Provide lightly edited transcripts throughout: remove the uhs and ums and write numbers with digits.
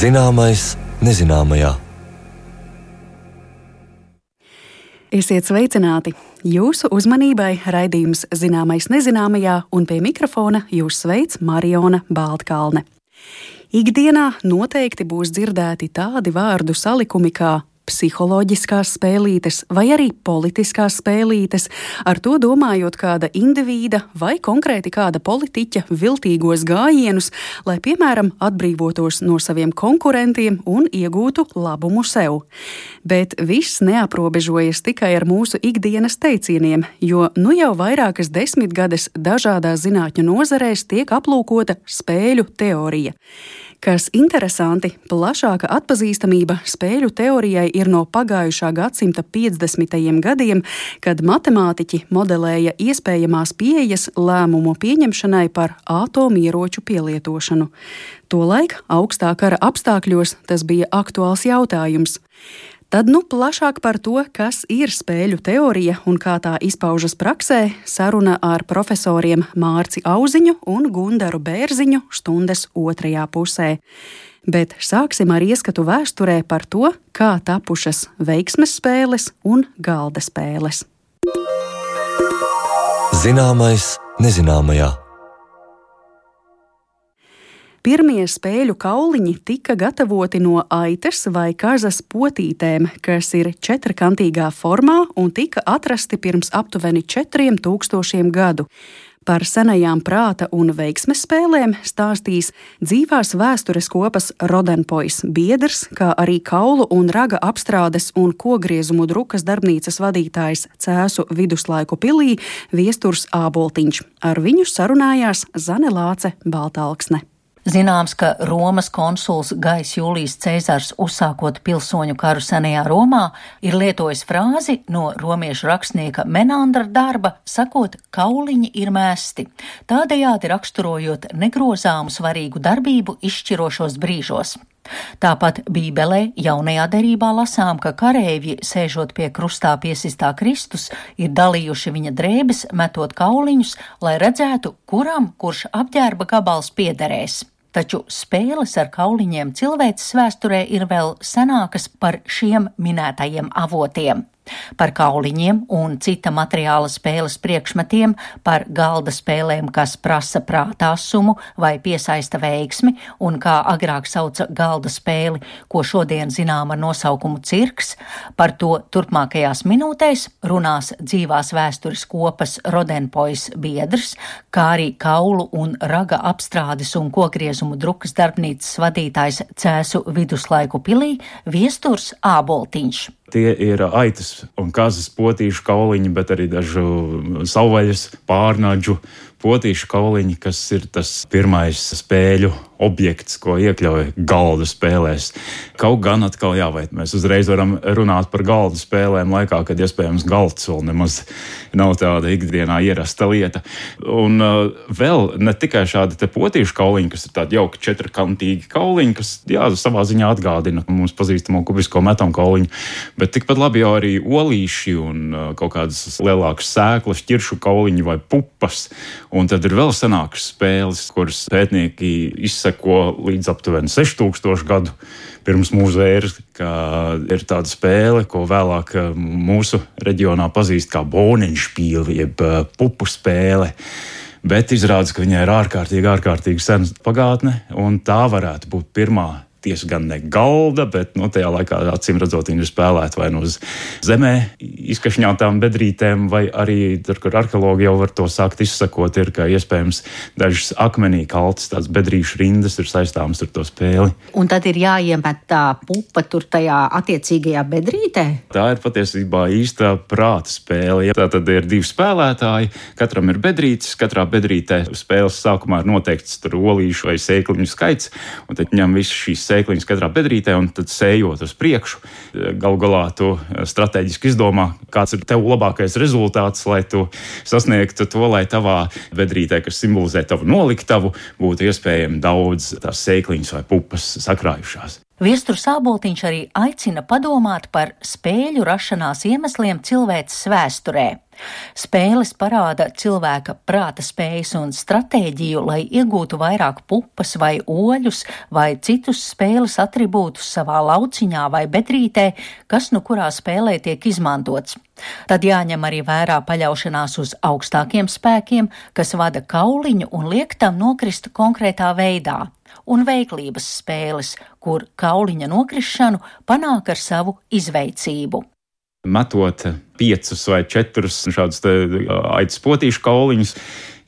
Zināmais nezināmajā. Esiet sveicināti! Jūsu uzmanībai raidījums Zināmais nezināmajā, un pie mikrofona jūs sveic Mariona Baltkalne. Ikdienā noteikti būs dzirdēti tādi vārdu salikumi kā psiholoģiskās spēlītes vai arī politiskās spēlītes, ar to domājot kāda indivīda vai konkrēti kāda politiķa viltīgos gājienus, lai, piemēram, atbrīvotos no saviem konkurentiem un iegūtu labumu sev. Bet viss neaprobežojas tikai ar mūsu ikdienas teicieniem, jo nu jau vairākas desmitgades dažādās zinātņu nozarēs tiek aplūkota spēļu teorija. Kas interesanti, plašāka atpazīstamība spēļu teorijai ir no pagājušā gadsimta 50. gadiem, kad matemātiķi modelēja iespējamās pieejas lēmumu pieņemšanai par atomieroču pielietošanu. Tolaik augstā kara apstākļos tas bija aktuāls jautājums. Tad plašāk par to, kas ir spēļu teorija un kā tā izpaužas praksē, saruna ar profesoriem Mārci Auziņu un Gundaru Bērziņu stundas otrajā pusē. Bet sāksim ar ieskatu vēsturē par to, kā tapušas veiksmes spēles un galda spēles. Zināmais nezināmajā. Pirmie spēļu kauliņi tika gatavoti no aitas vai kazas potītēm, kas ir četrkantīgā formā un tika atrasti pirms aptuveni 4000 gadu. Par senajām prāta un veiksmes spēlēm stāstīs dzīvās vēstures kopas Rodenpois biedrs, kā arī kaulu un raga apstrādes un kogriezumu drukas darbnīcas vadītājs Cēsu viduslaiku pilī Viesturs Āboltiņš. Ar viņu sarunājās Zane Lāce Baltalksne. Zināms, ka Romas konsuls Gaius Jūlijs Cēzars, uzsākot pilsoņu karu senajā Romā, ir lietojis frāzi no romiešu rakstnieka Menandra darba, sakot, kauliņi ir mēsti, tādējādi raksturojot negrozāmu svarīgu darbību izšķirošos brīžos. Tāpat Bībelē jaunajā derībā lasām, ka kareivji, sēžot pie krustā piesistā Kristus, ir dalījuši viņa drēbes, metot kauliņus, lai redzētu, kuram kurš apģērba gabals piederēs. Taču spēles ar kauliņiem cilvēces vēsturē ir vēl senākas par šiem minētajiem avotiem. Par kauliņiem un cita materiāla spēles priekšmetiem, par galda spēlēm, kas prasa prātāsumu vai piesaista veiksmi, un kā agrāk sauca galda spēli, ko šodien zinām ar nosaukumu cirks, par to turpmākajās minūtēs runās dzīvās vēstures kopas Rodenpois biedrs, kā arī kaulu un raga apstrādes un kogriezumu drukas darbnīcas vadītājs Cēsu viduslaiku pilī Viesturs Āboltiņš. Tie ir aitas un kazas potīšu kauliņi, bet arī dažu savvaļas, pārnaģu potīšu kauliņi, kas ir tas pirmais spēļu objekts, ko iekļauj galda spēlēs. Kaut gan atkal vai mēs uzreiz varam runāt par galda spēlēm laikā, kad iespējams galds vēl nemaz nav tāda ikdienā ierasta lieta. Un vēl ne tikai šādi te potīšu kauliņi, kas ir tādi jauki četrkantīgi kauliņi, kas savā ziņā atgādina mums pazīstamo kubisko metam kauliņu, bet tikpat labi jau arī olīši un kaut kādas lielākas sēklas, ķiršu kauliņi vai pupas. Un tad ir vēl senākas spēles, kuras pētnieki izseko līdz aptuveni 6000 gadu pirms mūsu ēras, kā ir tāda spēle, ko vēlāk mūsu reģionā pazīst kā Bohnenspiel, jeb pupu spēle. Bet izrādās, ka viņai ir ārkārtīgi sena pagātne, un tā varētu būt pirmā. Tieši gan ne galda, bet tajā laikā acīm redzot viņi ir spēlēti vai uz zemē izkašņātām bedrītēm, vai arī tur, kur arheologi jau var to sākt izsakot, ir, ka iespējams dažas akmenī kaltas tādas bedrīšu rindas ir saistāmas ar to spēli. Un tad ir jāiemet tā pupa tur tajā attiecīgajā bedrītē? Tā ir patiesībā īsta prāta spēle. Tā tad ir 2 spēlētāji, katram ir bedrītes, katrā bedrītē spēles sākumā ir noteikts tur olīšu vai sēkliņu skaits, un tad ņem visas šīs sēkliņas katrā bedrītē un tad sējot uz priekšu. Galu galā tu strateģiski izdomā, kāds ir tev labākais rezultāts, lai tu sasniegtu to, lai tavā bedrītē, kas simbolizē tavu noliktavu, būtu iespējami daudz tās sēkliņas vai pupas sakrājušās. Viesturs Āboltiņš arī aicina padomāt par spēļu rašanās iemesliem cilvēces vēsturē. Spēles parāda cilvēka prāta spējas un stratēģiju, lai iegūtu vairāk pupas vai oļus vai citus spēles atribūtus savā lauciņā vai bedrītē, kas nu kurā spēlē tiek izmantots. Tad jāņem arī vērā paļaušanās uz augstākiem spēkiem, kas vada kauliņu un liek tam nokrist konkrētā veidā, un veiklības spēles, kur kauliņa nokrišanu panāk ar savu izveicību. Metot 5 vai 4 šādus aitas potīšu kauliņus,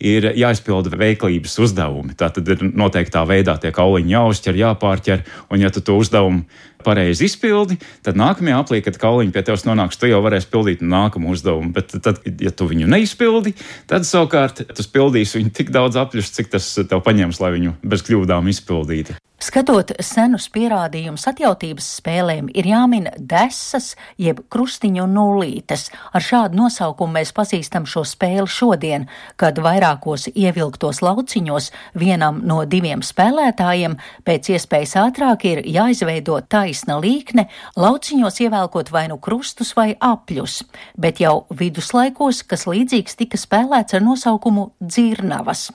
ir jāizpilda veiklības uzdevumi. Tātad ir noteiktā veidā tie kauliņi jāuzķer, jāpārķer, un ja tu to uzdevumu pareizi izpildi, tad nākamajā aplī, kad kauliņi pie tevis nonāks, tu jau varēsi pildīt nākamu uzdevumu. Bet tad, ja tu viņu neizpildi, tad savukārt tu pildīsi viņu tik daudz apļus, cik tas tev paņems, lai viņu bez kļūdām izpildītu. Skatot senus pierādījumus atjautības spēlēm, ir jāmin desas, jeb krustiņu nullītes. Ar šādu nosaukumu mēs pazīstam šo spēli šodien, kad vairākos ievilktos lauciņos vienam no 2 spēlētājiem pēc iespējas ātrāk ir jāizveido taisna līkne, lauciņos ievelkot vai nu krustus vai apļus, bet jau viduslaikos, kas līdzīgs tika spēlēts ar nosaukumu dzirnavas.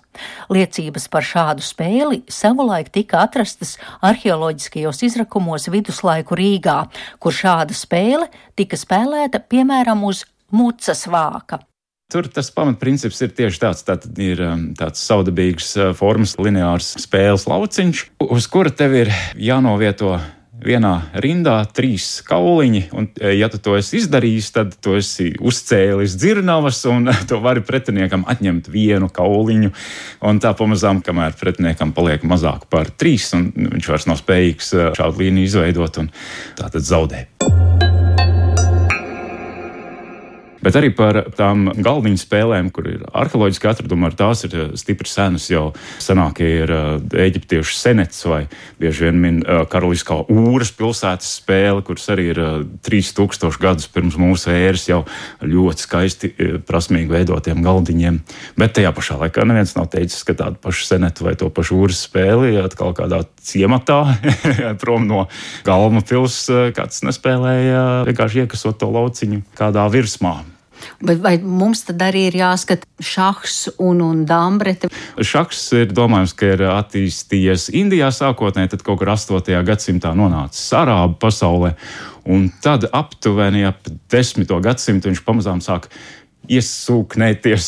Liecības par šādu spēli savulaik tika atrastas arheoloģiskajos izrakumos viduslaiku Rīgā, kur šāda spēle tika spēlēta piemēram uz mucas vāka. Tur tas pamatprincips ir tieši tāds. Tātad ir tāds saudabīgs formas lineārs spēles lauciņš, uz kura tev ir jānovieto vienā rindā 3 kauliņi, un ja tu to esi izdarījis, tad tu esi uzcēlis dzirnavas, un tu vari pretiniekam atņemt 1 kauliņu, un tā pamazām, kamēr pretiniekam paliek mazāk par 3, un viņš vairs nav spējīgs šādu līniju izveidot, un tātad zaudē. Bet arī par tām galdiņu spēlēm, kur ir arheoloģiski atradumi, ar tās ir stipri senas, jau senākie ir eģiptiešu senets vai bieži vien min karaliskā Ūras pilsētas spēle, kuras arī ir 3000 gadus pirms mūsu ēras jau ļoti skaisti prasmīgi veidotiem galdiņiem. Bet tajā pašā laikā neviens nav teicis, ka tādu pašu senetu vai to pašu Ūras spēli atkal kādā ciematā prom no Galma pils kāds nespēlēja, vienkārši iekasot to lauciņu kādā virsmā. Bet vai mums tad arī ir jāskata šahs un dambrete? Šahs ir domājams, ka ir attīstījies Indijā sākotnēji, tad kaut kur 8. gadsimtā nonācis Arābu pasaulē, un tad aptuveni ap 10. gadsimtu viņš pamazām sāk iesūknēties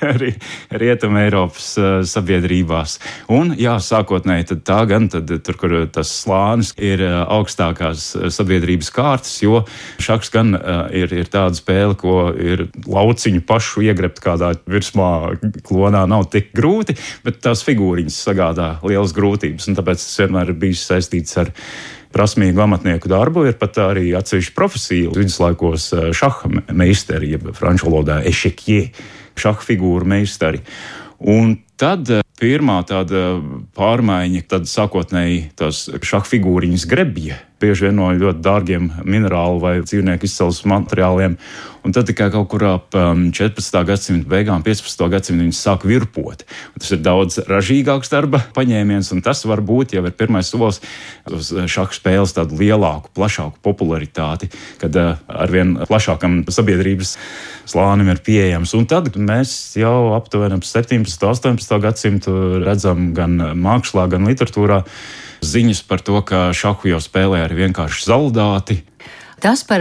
arī Rietuma Eiropas sabiedrībās. Un jā, sākotnēji tad tā gan, tad tur, kur tas slānis ir augstākās sabiedrības kārtas, jo šahs gan ir tāda spēle, ko ir lauciņu pašu iegrebt kādā virsmā klonā nav tik grūti, bet tās figūriņas sagādā lielas grūtības, un tāpēc tas vienmēr ir bijis saistīts ar prasmīgu amatnieku darbu. Ir pat arī atsevišķa profesija viduslaikos šaha meistari, jeb franču valodā ešekjē, šaha figūru meistari. Un tad pirmā tāda pārmaiņa, tad sākotnēji tās šaha figūriņas grebja, bieži vien no ļoti dārgiem minerālu vai dzīvnieku izcelsmes materiāliem. Un tad tikai kaut kur ap 14. gadsimta beigām, 15. gadsimta viņas sāk virpot. Un tas ir daudz ražīgāks darba paņēmiens, un tas varbūt jau ir pirmais solis uz šaha spēles tādu lielāku, plašāku popularitāti, kad arvien plašākam sabiedrības slānim ir pieejams. Un tad mēs jau aptuveni ap 17. 18. gadsimtu redzam gan mākslā, gan literatūrā ziņas par to, ka šahu jau spēlē arī vienkārši zaldāti. Tas par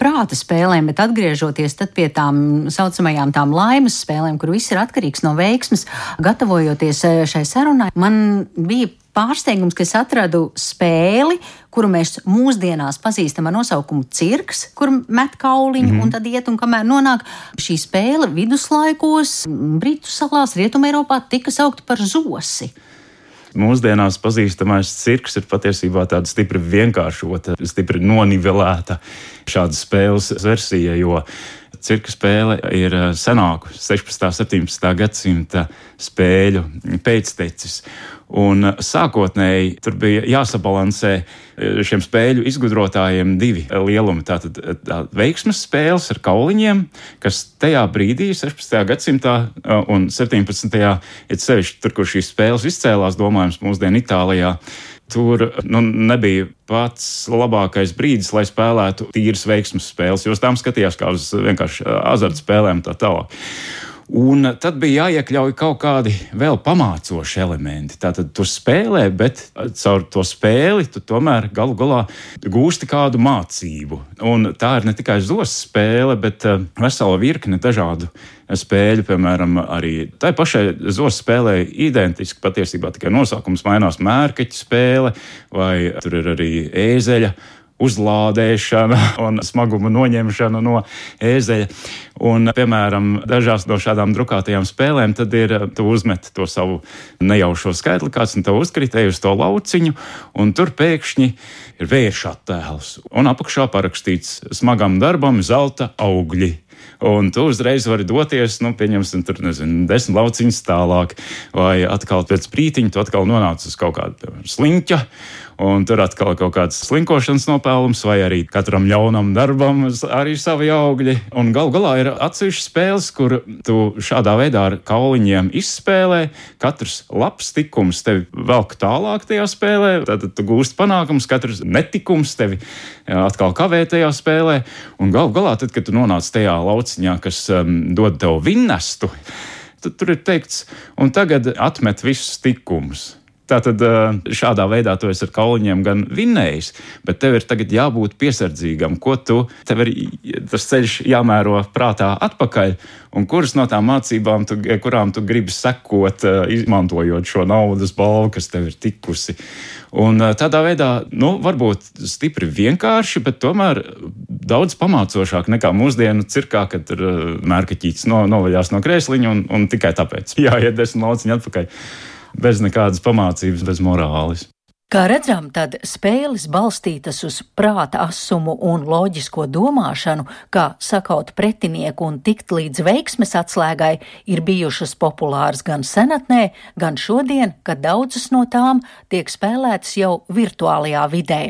prāta spēlēm, bet atgriežoties tad pie tām saucamajām tām laimes spēlēm, kur viss ir atkarīgs no veiksmes, gatavojoties šai sarunai, man bija pārsteigums, ka es atradu spēli, kuru mēs mūsdienās pazīstam ar nosaukumu cirks, kur met kauliņu un tad iet, un kamēr nonāk šī spēle viduslaikos, Britu salās, Rietuma Eiropā tika saukta par zosi. Mūsdienās pazīstamais cirks ir patiesībā tāda stipri vienkāršota, stipri nonivelēta šāda spēles versija, jo cirka spēle ir senāku 16. 17. gadsimta spēļu pēctecis. Un sākotnēji tur bija jāsabalansē šiem spēļu izgudrotājiem 2 lielumi. Tātad veiksmes spēles ar kauliņiem, kas tajā brīdī, 16. gadsimtā un 17. ir sevišķi tur, kur šīs spēles izcēlās, domājams, mūsdienu Itālijā, tur nebija pats labākais brīdis, lai spēlētu tīras veiksmes spēles, jo uz tām skatījās kā uz vienkārši azartspēlēm tā tālāk. Un tad bija jāiekļauj kaut kādi vēl pamācoši elementi. Tātad tu spēlē, bet caur to spēli tu tomēr galu galā gūsti kādu mācību. Un tā ir ne tikai zos spēle, bet vesela virkne dažādu spēļu, piemēram, arī tai pašai zos spēlē identiski patiesībā tikai nosaukums mainās mērkaķa spēle, vai tur ir arī ēzeļa uzlādēšana un smaguma noņemšana no ēzeļa. Un, piemēram, dažās no šādām drukātajām spēlēm tad ir, tu uzmet to savu nejaušo skaitli, kāds un tev uzkritēja uz to lauciņu, un tur pēkšņi ir vērša attēls. Un apakšā parakstīts smagam darbam zelta augļi. Un tu uzreiz vari doties, pieņemsim, tur, 10 lauciņus tālāk, vai atkal pēc brītiņa tu atkal nonāc uz kaut kādu, piemēram, sliņķa, un tur atkal kaut kāds slinkošanas nopelnums, vai arī katram ļaunam darbam arī savi augļi. Un gal galā ir atsevišķas spēles, kur tu šādā veidā ar kauliņiem izspēlē, katrs labs tikums tevi velk tālāk tajā spēlē, tad tu gūsti panākums, katrs netikums tevi atkal kavē tajā spēlē, un gal galā tad, kad tu nonāc tajā lauciņā, kas dod tev vinnestu, tad tur ir teikts, un tagad atmet visus tikumus. Tātad šādā veidā tu esi ar kauliņiem gan vinnējis, bet tev ir tagad jābūt piesardzīgam, tev ir tas ceļš jāmēro prātā atpakaļ, un kuras no tām mācībām, kurām tu gribi sekot, izmantojot šo naudas balvu, kas tev ir tikusi. Un tādā veidā, varbūt stipri vienkārši, bet tomēr daudz pamācošāk nekā mūsdienu cirkā, kad tur mērkaķītis novaļās no krēsliņa un tikai tāpēc jāiet 10 lauciņu atpakaļ. Bez nekādas pamācības, bez morāles. Kā redzam, tad spēles balstītas uz prāta asumu un loģisko domāšanu, kā sakaut pretinieku un tikt līdz veiksmes atslēgai, ir bijušas populāras gan senatnē, gan šodien, kad daudzas no tām tiek spēlētas jau virtuālajā vidē.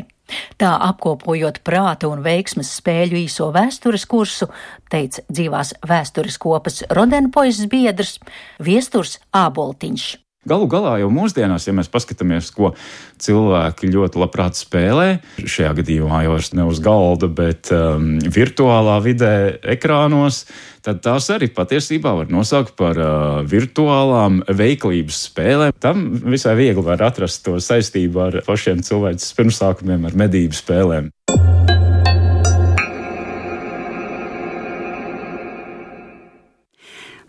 Tā apkopojot prāta un veiksmes spēļu īso vēstures kursu, teica dzīvās vēstures kopas Rodenpojas biedrs Viesturs Āboltiņš. Galu galā jau mūsdienās, ja mēs paskatāmies, ko cilvēki ļoti labprāt spēlē, šajā gadījumā jau ne uz galda, bet virtuālā vidē, ekrānos, tad tās arī patiesībā var nosaukt par virtuālām veiklības spēlēm. Tam visai viegli var atrast to saistību ar pašiem cilvēces pirmsākumiem, ar medību spēlēm.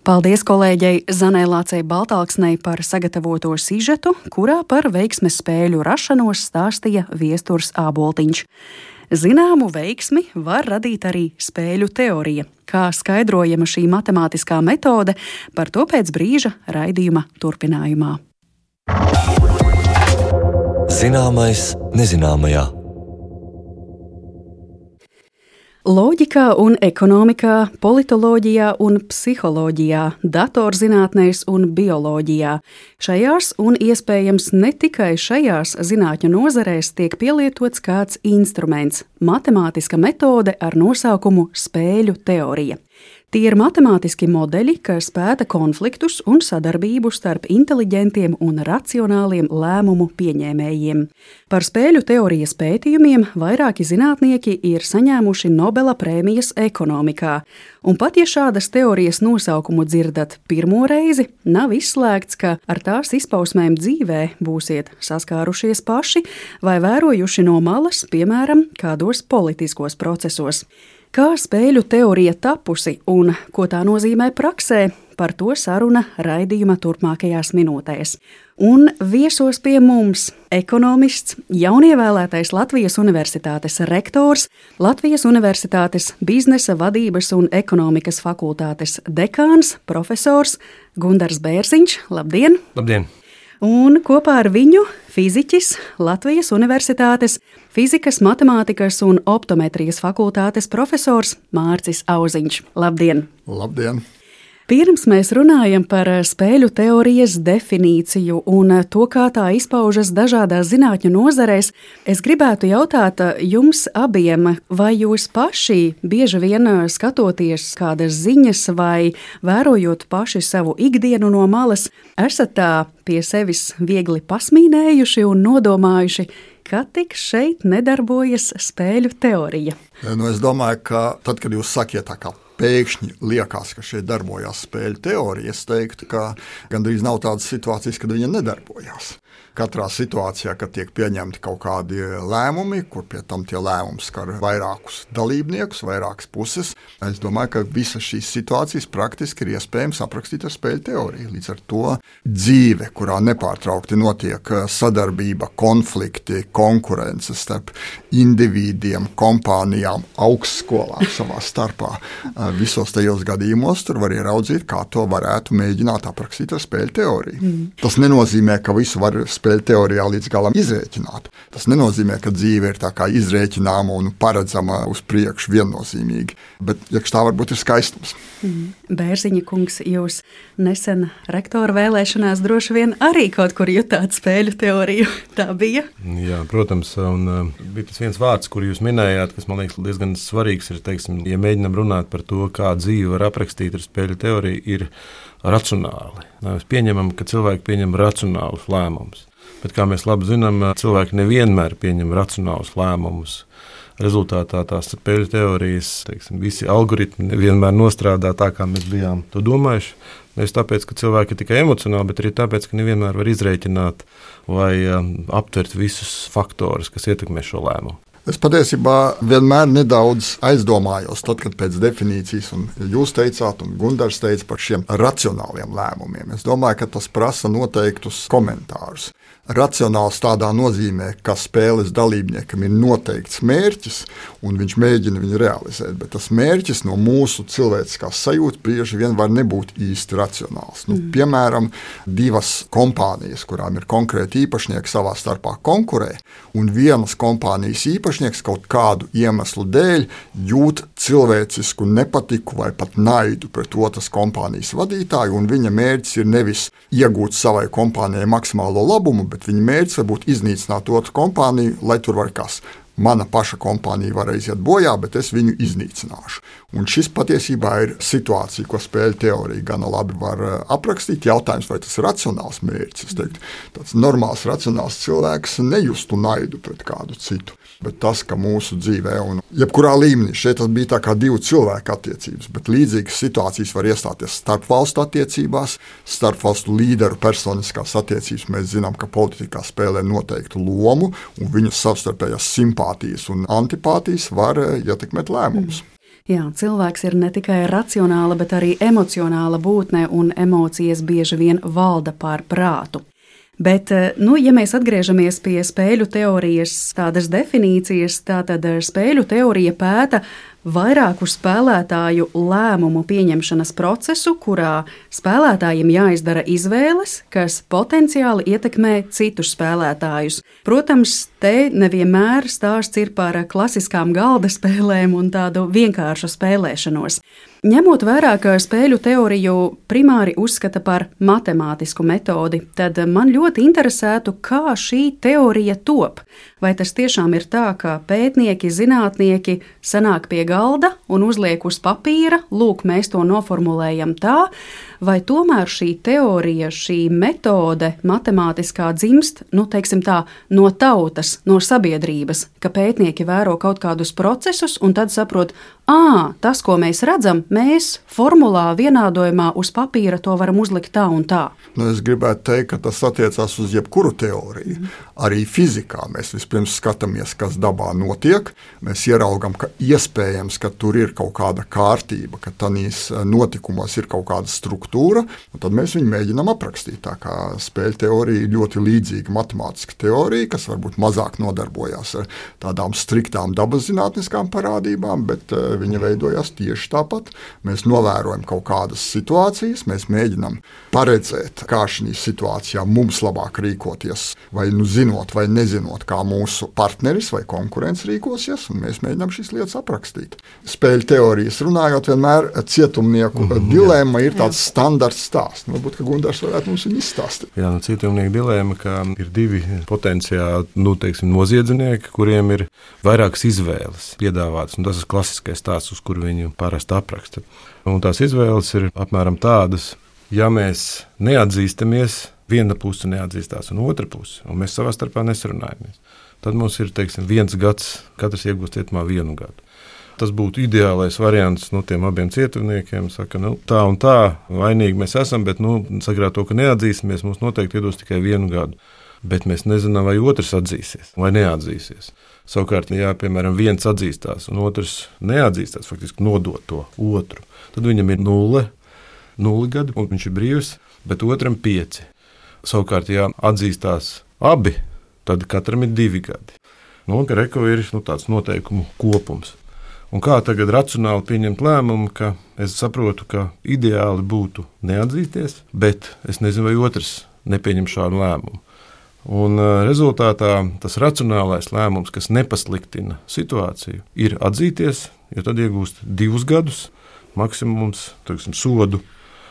Paldies kolēģei Zanai Lācei Baltāksnei par sagatavoto sižetu, kurā par veiksmes spēļu rašanos stāstīja Viesturs Āboltiņš. Zināmu veiksmi var radīt arī spēļu teorija. Kā skaidrojama šī matemātiskā metode, par to pēc brīža raidījuma turpinājumā. Zināmais nezināmajā. Loģikā un ekonomikā, politoloģijā un psiholoģijā, datorzinātnēs un bioloģijā. Šajās un iespējams ne tikai šajās zinātņu nozarēs tiek pielietots kāds instruments – matemātiska metode ar nosaukumu spēļu teorija. Tie ir matemātiski modeļi, kas pēta konfliktus un sadarbību starp inteliģentiem un racionāliem lēmumu pieņēmējiem. Par spēļu teorijas pētījumiem vairāki zinātnieki ir saņēmuši Nobela prēmijas ekonomikā. Un pat ja šādas teorijas nosaukumu dzirdat pirmo reizi, nav izslēgts, ka ar tās izpausmēm dzīvē būsiet saskārušies paši vai vērojuši no malas, piemēram, kādos politiskos procesos. Kā spēļu teorija tapusi un ko tā nozīmē praksē, par to saruna raidījuma turpmākajās minūtēs. Un viesos pie mums ekonomists, jaunievēlētais Latvijas Universitātes rektors, Latvijas Universitātes biznesa vadības un ekonomikas fakultātes dekāns, profesors Gundars Bērziņš. Labdien! Labdien! Un kopā ar viņu fiziķis, Latvijas Universitātes fizikas, matemātikas un optometrijas fakultātes profesors Mārcis Auziņš. Labdien! Labdien! Pirms mēs runājam par spēļu teorijas definīciju un to, kā tā izpaužas dažādās zinātņu nozarēs, es gribētu jautāt jums abiem, vai jūs paši bieži vien skatoties kādas ziņas vai vērojot paši savu ikdienu no malas, esat tā pie sevis viegli pasmīnējuši un nodomājuši, ka tik šeit nedarbojas spēļu teorija? Es domāju, ka tad, kad jūs sakiet tā kā pēkšņi liekas, ka šeit darbojās spēļu teorija, es teiktu, ka gandrīz nav tādas situācijas, kad viņa nedarbojās. Katrā situācijā, kad tiek pieņemti kaut kādi lēmumi, kur pie tam tie lēmumi skar vairākus dalībniekus, vairākas puses, es domāju, ka visas šīs situācijas praktiski ir iespējams aprakstīt ar spēļu teoriju. Līdz ar to dzīve, kurā nepārtraukti notiek sadarbība, konflikti, konkurences starp individiem, kompānijām, augstskolām savā starpā, visos tajos gadījumos tur var ieraudzīt, kā to varētu mēģināt aprakstīt ar spēļu teoriju. Tas nenozīmē, ka visu var spēļu teorijā līdz galam izrēķināt. Tas nenozīmē, ka dzīve ir tā kā izrēķināma un paredzama uz priekšu viennozīmīgi, bet iekš tā varbūt ir skaistums. Bērziņa kungs, jūs nesen rektora vēlēšanās droši vien arī kaut kur jutāt spēļu teoriju. Tā bija? Jā, protams, un bija tas viens vārds, kur jūs minējāt, kas man liekas diezgan svarīgs, ir, teiksim, ja mēģinam runāt par to, kā dzīve var aprakstīt ar spēļu teoriju, ir racionāli. Mēs pieņemam, ka cilvēki pieņem racionālus lēmumus, bet, kā mēs labi zinām, cilvēki nevienmēr pieņem racionālus lēmumus. Rezultātā tās spēļu teorijas, teiksim, visi algoritmi nevienmēr nostrādā tā, kā mēs bijām to domājuši. Nevis tāpēc, ka cilvēki ir tikai emocionāli, bet arī tāpēc, ka nevienmēr var izrēķināt vai aptvert visus faktorus, kas ietekmē šo lēmumu. Es patiesībā vienmēr nedaudz aizdomājos, tad, kad pēc definīcijas, un jūs teicāt, un Gundars teica par šiem racionāliem lēmumiem. Es domāju, ka tas prasa noteiktus komentārus. Racionāls tādā nozīmē, ka spēles dalībniekam ir noteikts mērķis, un viņš mēģina viņu realizēt, bet tas mērķis no mūsu cilvēciskās sajūtas bieži vien var nebūt īsti racionāls. Piemēram, divas kompānijas, kurām ir konkrēti īpašnieki, savā starpā konkurē, un vienas kompānijas īpašnieks kaut kādu iemeslu dēļ jūt cilvēcisku nepatiku vai pat naidu pret otras kompānijas vadītāju, un viņa mērķis ir nevis iegūt savai kompānijai maksimālo labumu, bet viņa mērķis var būt iznīcināt otru kompāniju, lai tur var kas. Mana paša kompānija var aiziet bojā, bet es viņu iznīcināšu. Un šis patiesībā ir situācija, ko spēļu teorija gana labi var aprakstīt. Jautājums, vai tas ir racionāls mērķis. Es teiktu, tāds normāls, racionāls cilvēks nejustu naidu pret kādu citu. Bet tas, ka mūsu dzīvē un jebkurā līmenī šeit bija tā kā divu cilvēku attiecības, bet līdzīgas situācijas var iestāties starpvalstu attiecībās, starpvalstu līderu personiskās attiecības. Mēs zinām, ka politikā spēlē noteiktu lomu, un viņu savstarpējās simpātijas un antipātijas var ietekmēt lēmumus. Jā, cilvēks ir ne tikai racionāla, bet arī emocionāla būtne, un emocijas bieži vien valda pār prātu. Bet, ja mēs atgriežamies pie spēļu teorijas tādas definīcijas, tātad spēļu teorija pēta vairāku spēlētāju lēmumu pieņemšanas procesu, kurā spēlētājiem jāizdara izvēles, kas potenciāli ietekmē citus spēlētājus. Protams, te nevienmēr stāsts ir par klasiskām galda spēlēm un tādu vienkāršu spēlēšanos. Ņemot vērā, ka spēļu teoriju primāri uzskata par matemātisku metodi, tad man ļoti interesētu, kā šī teorija top. Vai tas tiešām ir tā, ka pētnieki, zinātnieki sanāk pie galda un uzliek uz papīra, lūk, mēs to noformulējam tā, vai tomēr šī teorija, šī metode matemātiskā dzimst, teiksim tā, no tautas, no sabiedrības, ka pētnieki vēro kaut kādus procesus un tad saprot, tas, ko mēs redzam, mēs formulā, vienādojumā uz papīra to varam uzlikt tā un tā. Es gribētu teikt, ka tas attiecās uz jebkuru teoriju. Arī fizikā mēs vispirms skatāmies, kas dabā notiek. Mēs ieraugam, ka iespējams, ka tur ir kaut kāda kārtība, ka tādīs notikumos ir kaut kāda struktūra, un tad mēs viņu mēģinām aprakstīt. Tā kā spēļu teorija ir ļoti līdzīga matemātiska teorija, kas varbūt mazāk nodarbojās ar tādām striktām dabas zinātniskām parādībām, bet viņa veidojās tieši tāpat. Mēs novērojam kaut kādas situācijas, mēs mēģinām paredzēt, kā šī situācijā mums labāk rīkoties, vai zinot, vai nezinot, kā mūsu partneris vai konkurents rīkosies, un mēs mēģinām šīs lietas aprakstīt. Spēļu teorijas runājot, vienmēr cietumnieku dilemma ir tāds standarts stāsts. Varbūt, ka Gundars varētu mums viņu izstāstīt. Jā, cietumnieku dilemma, ka ir divi potenciāli, noziedznieki, kuriem ir vairākas izvēles piedāvātas, un tas ir klasiskais stāsts, uz kuru viņu parasti apraksta. Un tās izvēles ir apmēram tādas, ja mēs neatzīstamies, viena puse neatzīstās un otra puse, un mēs savā starpā nesarunājamies, tad mums ir, 1 gads, katrs iegūst cietumā 1 gadu. Tas būtu ideālais variants tiem abiem cietumniekiem. Saka, tā un tā, vainīgi mēs esam, bet sakrāt to, ka neatzīsimies, mums noteikti iedos tikai 1 gadu. Bet mēs nezinām, vai otrs atzīsies vai neatzīsies. Savukārt, ja, piemēram, viens atzīstās un otrs neatzīstās, faktiski nodot to otru, tad viņam ir 0 gadi, un viņš ir brīvs, bet otram 5. Savukārt, ja atzīstās abi, tad katram ir 2 gadi. Reko ir tāds noteikumu kopums. Un kā tagad racionāli pieņemt lēmumu, ka es saprotu, ka ideāli būtu neatzīties, bet es nezinu, vai otrs nepieņem šādu lēmumu. Un rezultātā tas racionālais lēmums, kas nepasliktina situāciju, ir atzīties, jo tad iegūst 2 gadus, maksimums, sodu,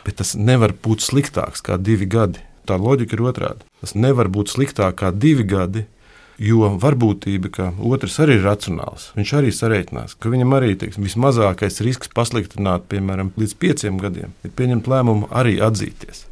bet tas nevar būt sliktāks kā 2 gadi. Tā loģika ir otrādi. Tas nevar būt sliktāk kā 2 gadi, jo varbūtība, ka otrs arī ir racionāls, viņš arī sareiķinās, ka viņam arī vismazākais risks pasliktināt, piemēram, līdz 5 gadiem, ir pieņemt lēmumu arī atzīties.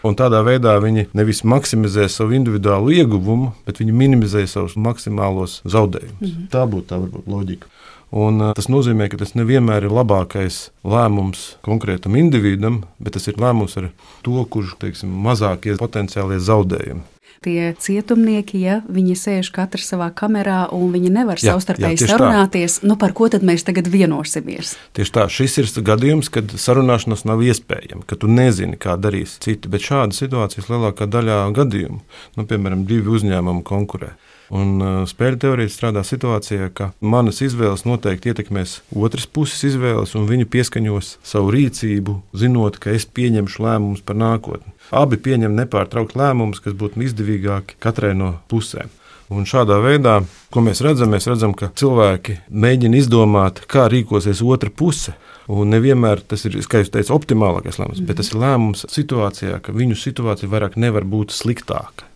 Un tādā veidā viņi nevis maksimizē savu individuālu ieguvumu, bet viņi minimizē savus maksimālos zaudējumus. Tā būtu tā varbūt loģika. Un tas nozīmē, ka tas nevienmēr ir labākais lēmums konkrētam individam, bet tas ir lēmums ar to, kurš, mazākie potenciālie zaudējumi. Tie cietumnieki, ja viņi sēž katrs savā kamerā un viņi nevar savstarpēji sarunāties, par ko tad mēs tagad vienosimies? Tieši tā, šis ir gadījums, kad sarunāšanās nav iespējama, ka tu nezini, kā darīs citi, bet šāda situācijas lielākā daļā gadījumu, piemēram, 2 uzņēmumi konkurē. Un spēļu teorija strādā situācijā, ka manas izvēles noteikti ietekmēs otras puses izvēles, un viņi pieskaņos savu rīcību, zinot, ka es pieņemšu lēmumus par nākotni. Abi pieņem nepārtraukt lēmumus, kas būtu izdevīgāki katrai no pusēm. Un šādā veidā, ko mēs redzam, ka cilvēki mēģina izdomāt, kā rīkosies otra puse. Un nevienmēr tas ir, kā jūs teicat, optimālākais lēmums, bet tas ir lēmums situācijā, ka viņu situācija vairāk nevar būt sliktāka.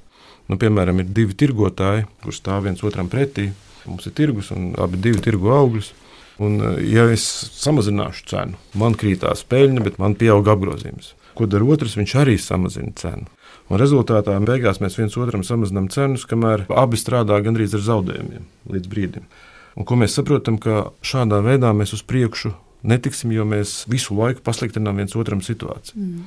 Piemēram, ir 2 tirgotāji, kurš stāv viens otram pretī. Mums ir tirgus un abi 2 tirgo augļus. Un, ja es samazināšu cenu, man krītās peļņa, bet man pieaug apgrozījums. Ko dara otrs? Viņš arī samazina cenu. Un rezultātā beigās mēs viens otram samazinām cenus, kamēr abi strādā gandrīz ar zaudējumiem līdz brīdim. Un ko mēs saprotam, ka šādā veidā mēs uz priekšu netiksim, jo mēs visu laiku pasliktinām viens otram situāciju.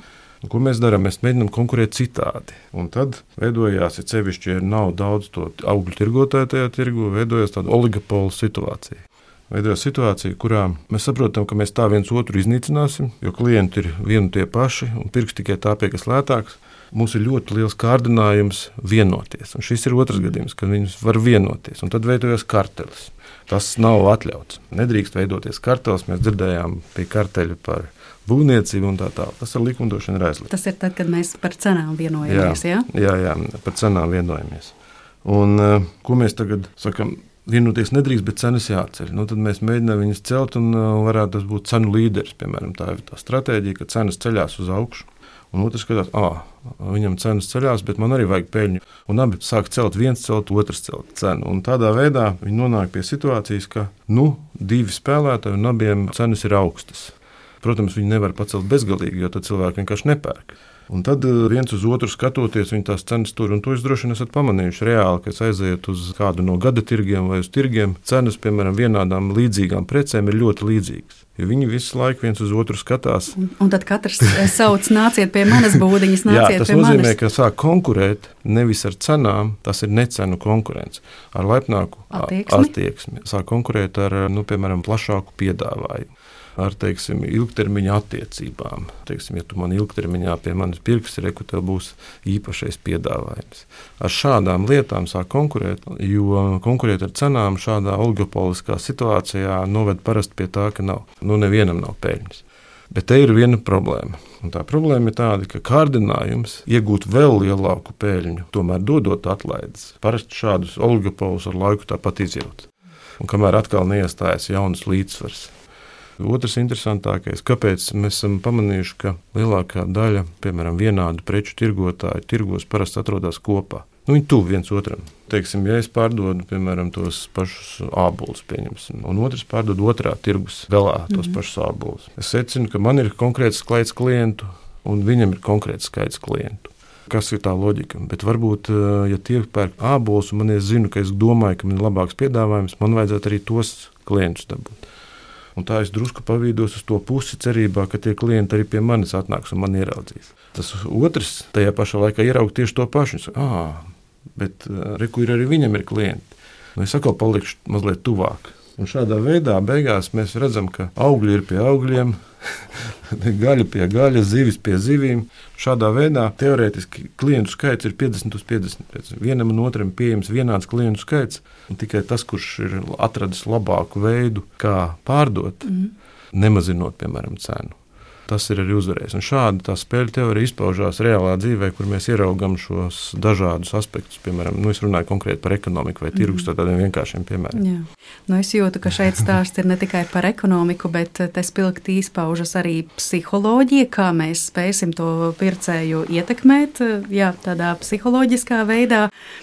Ko mēs darām? Mēs mēģinām konkurēt citādi. Un tad veidojās, ja sevišķi, ja nav daudz to augļu tirgotāju tajā tirgu, veidojās tāda oligopola situācija. Veidojās situācija, kurā mēs saprotam, ka mēs tā viens otru iznīcināsim, jo klienti ir vieni tie paši un pirks tikai tāpēc, kas lētāks. Mums ir ļoti liels kārdinājums vienoties. Un šis ir otrs gadījums, kad viņi var vienoties. Un tad veidojas kartelis. Tas nav atļauts. Nedrīkst veidoties kartelis. Mēs dzirdējām pie karteļa par būvniecību un tā tālāk. Tas ar likumdošanu ir aizliegts. Tas ir tad, kad mēs par cenām vienojamies, Jā, par cenām vienojamies. Un ko mēs tagad sakam? Vienoties nedrīkst, bet cenas jāceļ. Tad mēs mēģinām viņas celt un varētu tas būt cenu līderis. Piemēram, tā ir tā stratēģija, ka cenas ceļās uz augšu. Un otrs skatās, viņam cenas ceļās, bet man arī vajag peļņu. Un abi sāk celt, viens celt, otrs celt cenu. Un tādā veidā viņi nonāk pie situācijas, ka 2 spēlētāji un abiem cenas ir augstas. Protams, viņi nevar pacelt bezgalīgi, jo tad cilvēki vienkārši nepērk. Un tad viens uz otru skatoties, viņi tās cenas tur, un to jūs droši vien esat pamanījuši reāli, ka aiziet uz kādu no gada tirgiem vai uz tirgiem, cenas, piemēram, vienādām līdzīgām precēm ir ļoti līdzīgas. Jo viņi visu laiku viens uz otru skatās. Un tad katrs sauc, nāciet pie manas būdiņas, nāciet pie manis. Jā, tas nozīmē, ka sāk konkurēt nevis ar cenām, tas ir necenu konkurence, ar laipnāku attieksmi. Sāk konkurēt ar, piemēram, plašāku piedāvājumu. ar, teiksim, ilgtermiņa attiecībām. Teiksim, ja tu man ilgtermiņā pie manis pirksi, reku tev būs īpašais piedāvājums. Ar šādām lietām sāk konkurēt, jo konkurēt ar cenām šādā oligopoliskā situācijā noved parasti pie tā, ka nevienam nav peļņas. Bet te ir viena problēma. Un tā problēma ir tāda, ka kārdinājums iegūt vēl lielāku peļņu, tomēr dodot atlaides. Parasti šādus oligopolus ar laiku tāpat izjūt. Un kamēr atkal neiestājas jaunas līdzsvars. Otrs interesantākais, kāpēc mēs esam pamanījuši, ka lielākā daļa, piemēram, vienādu preču tirgotāju tirgos parasti atrodas kopā. Viņi tuvu viens otram. Teiksim, ja es pārdodu, piemēram, tos pašus ābolus, pieņemsim, un otrs pārdod otrā tirgus galā tos pašus ābolus. Es secinu, ka man ir konkrēts skaits klientu, un viņam ir konkrēts skaits klientu. Kas ir tā loģika? Bet varbūt, ja tie pērk ābolus, un es zinu, ka es domāju, ka man ir labāks piedāvājums, man vajadzētu arī tos klientus dabūt. Un tā es drusku pavīdos uz to pusi cerībā, ka tie klienti arī pie manis atnāks un man ieraudzīs. Tas otrs tajā pašā laikā ieraug tieši to pašu. Bet reku ir arī viņam ir klienti. Es atkal palikšu mazliet tuvāk. Un šādā veidā beigās mēs redzam, ka augļi ir pie augļiem, gaļa pie gaļas, zivis pie zivīm. Šādā veidā teorētiski klientu skaits ir 50 uz 50. Vienam un otram pieejams vienāds klientu skaits, un tikai tas, kurš ir atradis labāku veidu, kā pārdot, nemazinot, piemēram, cenu. Tas ir arī uzvarējis. Un šādi tā spēļu teorija izpaužās reālā dzīvē, kur mēs ieraugam šos dažādus aspektus. Piemēram, es runāju konkrēti par ekonomiku vai tirgus, tādiem vienkāršiem piemēriem. Jā. Es jūtu, ka šeit stāsts ir ne tikai par ekonomiku, bet te spilgti izpaužas arī psiholoģija, kā mēs spēsim to pircēju ietekmēt, tādā psiholoģiskā veidā.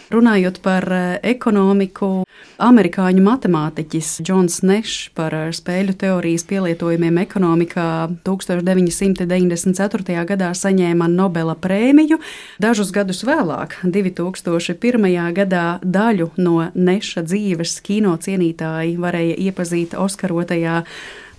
Runājot par ekonomiku, amerikāņu matemātiķis Džons Nešs par spēļu teorijas pielietojumiem ekonomikā 1994. gadā saņēma Nobela prēmiju. Dažus gadus vēlāk, 2001. gadā, daļu no Neša dzīves kino cienītāji varēja iepazīt oskarotajā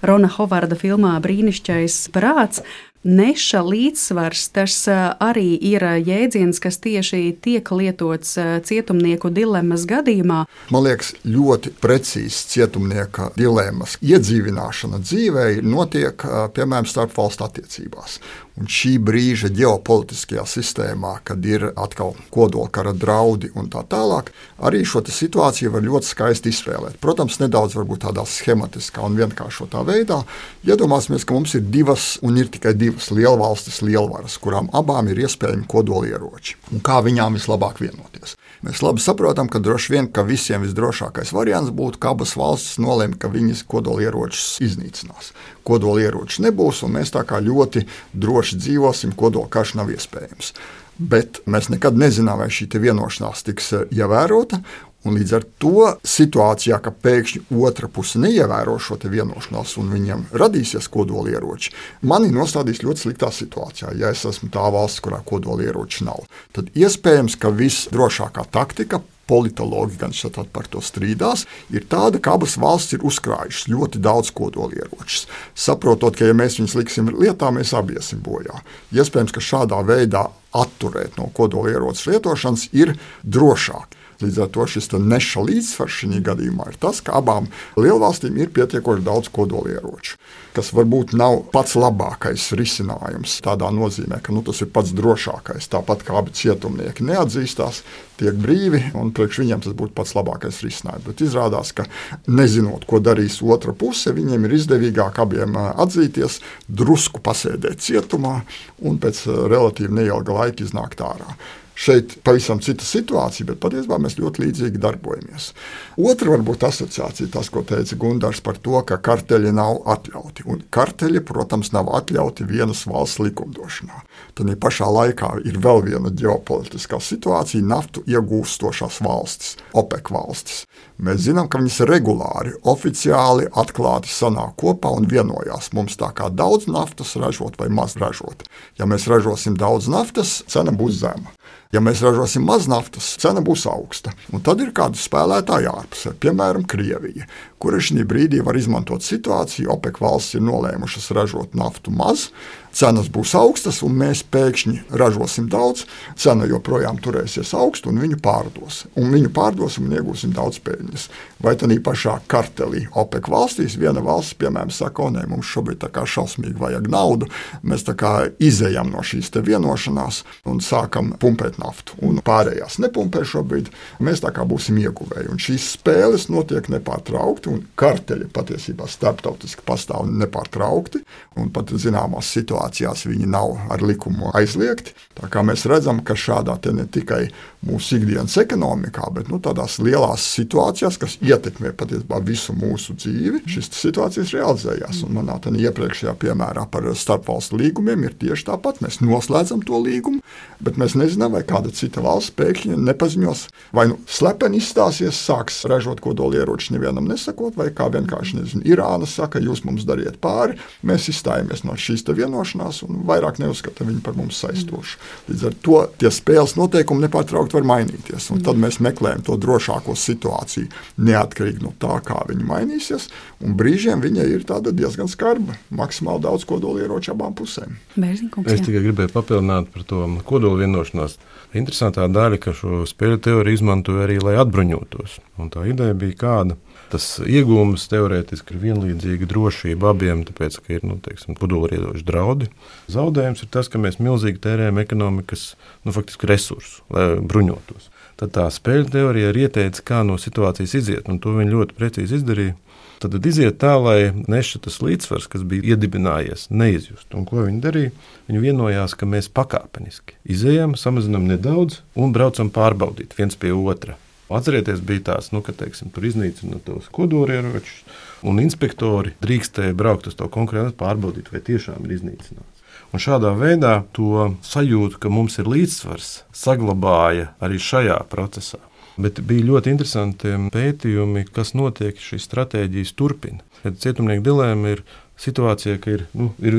Rona Hovarda filmā Brīnišķais prāts. Neša līdzsvars, tas arī ir jēdziens, kas tieši tiek lietots cietumnieku dilemmas gadījumā. Man liekas, ļoti precīzi cietumnieka dilemmas iedzīvināšana dzīvē notiek, piemēram, starpvalstu attiecībās. Un šī brīža ģeopolitiskajā sistēmā, kad ir atkal kodolkara draudi un tā tālāk, arī šo situāciju var ļoti skaisti izspēlēt. Protams, nedaudz varbūt tādā schematiskā un vienkāršotā veidā. Iedomāsimies, ka mums ir divas un ir tikai divas lielvalstis lielvaras, kurām abām ir iespējami kodolieroči. Un kā viņām vislabāk vienoties? Mēs labi saprotam, ka droši vien, ka visiem visdrošākais variants būtu, ka abas valstis nolēma, ka viņas kodolieročus iznīcinās. Kodolieroči nebūs, un mēs tā kā ļoti droši dzīvosim, kodolkarš nav iespējams. Bet mēs nekad nezinām, vai šī vienošanās tiks ievērota. Un līdz ar to situācijā, ka pēkšņi otra puse neievēro šo vienošanos un viņiem radīsies kodolieroči, mani nostādīs ļoti sliktā situācijā. Ja es esmu tā valsts, kurā kodolieroči nav, tad iespējams, ka visdrošākā taktika, politologi gan šeit par to strīdās, ir tāda, ka abas valstis ir uzkrājušas ļoti daudz kodolieročus. Saprotot, ka ja mēs viņus liksim lietā, mēs abi iesim bojā. Iespējams, ka šādā veidā atturēt no kodolieroču lietošanas ir drošāk. Līdz ar to šis Neša līdzsvars šajā gadījumā ir tas, ka abām lielvalstīm ir pietiekoši daudz kodolieroču, kas varbūt nav pats labākais risinājums tādā nozīmē, ka tas ir pats drošākais. Tāpat kā abi cietumnieki neatzīstās, tiek brīvi, un priekš viņiem tas būtu pats labākais risinājums. Bet izrādās, ka nezinot, ko darīs otra puse, viņiem ir izdevīgāk abiem atzīties, drusku pasēdēt cietumā un pēc relatīvi neilga laika iznākt ārā. Šeit pavisam cita situācija, bet patiesībā mēs ļoti līdzīgi darbojamies. Otra varbūt asociācija, tas, ko teica Gundars par to, ka karteļi nav atļauti. Un karteļi, protams, nav atļauti vienas valsts likumdošanā. Tad pašā laikā ir vēl viena ģeopolitiskā situācija - naftu iegūstošās valstis, OPEC valstis. Mēs zinām, ka viņas regulāri, oficiāli, atklāti sanāk kopā un vienojās mums tā kā daudz naftas ražot vai maz ražot. Ja mēs ražosim daudz naftas, cena būs zema. Ja mēs ražosim maz naftas, cena būs augsta. Un tad ir kāda spēlētāja ārpusē, piemēram, Krievija, kura šī brīdī var izmantot situāciju. OPEC valsts ir nolēmušas ražot naftu maz, cenas būs augstas, un mēs pēkšņi ražosim daudz, cena joprojām turēsies augstu, un viņu pārdos. Un viņu pārdosim un iegūsim daudz peļņas. Vai tādā pašā kartelī OPEC valstīs viena valsts, piemēram, saka, nē, mums šobrīd tā kā šausmīgi vajag naudu, mēs tā kā izejam no šīs te vienošanās un sākam pumpēt naftu. Un pārējās nepumpē šobrīd, mēs tā kā būsim ieguvēji. Un šīs spēles notiek nepārtraukti, un karteļi patiesībā starptautiski pastāv nepārtraukti, un pat zināmās situācijās viņi nav ar likumu aizliegti. Tā kā mēs redzam, ka šādā te ne tikai mūsu ikdienas ekonomikā, bet tādās lielās situācijās, kas ietekmē patiesībā visu mūsu dzīvi, šīs situācijas realizējās. Un manā iepriekšējā piemērā par starpvalstu līgumiem ir tieši tāpat. Mēs noslēdzam to līgumu, bet mēs nezinām, vai kāda cita valsts pēkšņi nepaziņos, vai slepeni izstāsies, sāks ražot kodolieroči nevienam nesakot, vai kā vienkārši, Irāna saka, jūs mums dariet pāri, mēs izstājamies no šīs te vienošanās un vairāk neuzskata viņu par mums saistošu. Līdz ar to tie spēles noteikumi nepārtraukti var mainīties, un tad mēs meklējam to drošāko situāciju, neatkarīgi no tā, kā viņi mainīsies, un brīžiem viņa ir tāda diezgan skarba, maksimāli daudz kodolieroču abām pusēm. Es tikai gribēju papildināt par to kodolu vienošanos. Interesantā daļa, ka šo spēļu teoriju izmantoja arī, lai atbruņotos. Un tā ideja bija kāda. Tas iegūms teorētiski ir vienlīdzīga drošība abiem, tāpēc, ka ir, kodolieroču draudi. Zaudējums ir tas, ka mēs milzīgi tērējam ekonomikas, faktiski resursu, lai bruņotos. Tad tā spēļu teorija ir ieteica, kā no situācijas iziet, un to viņi ļoti precīzi izdarīja. Tad iziet tā, lai tas līdzsvars, kas bija iedibinājies, neizjust. Un ko viņi darīja? Viņi vienojās, ka mēs pakāpeniski izejam, samazinam nedaudz un braucam pārbaudīt viens pie otra. Atcerieties, bija tās, ka tur iznīcina tos kodolieročus, un inspektori drīkstēja braukt uz to konkrēti pārbaudīt, vai tiešām ir iznīcināts. Un šādā veidā to sajūtu, ka mums ir līdzsvars, saglabāja arī šajā procesā. Bet bija ļoti interesanti pētījumi, kas notiek, šīs stratēģijas turpina. Cietumnieku dilēma ir situācija, ka ir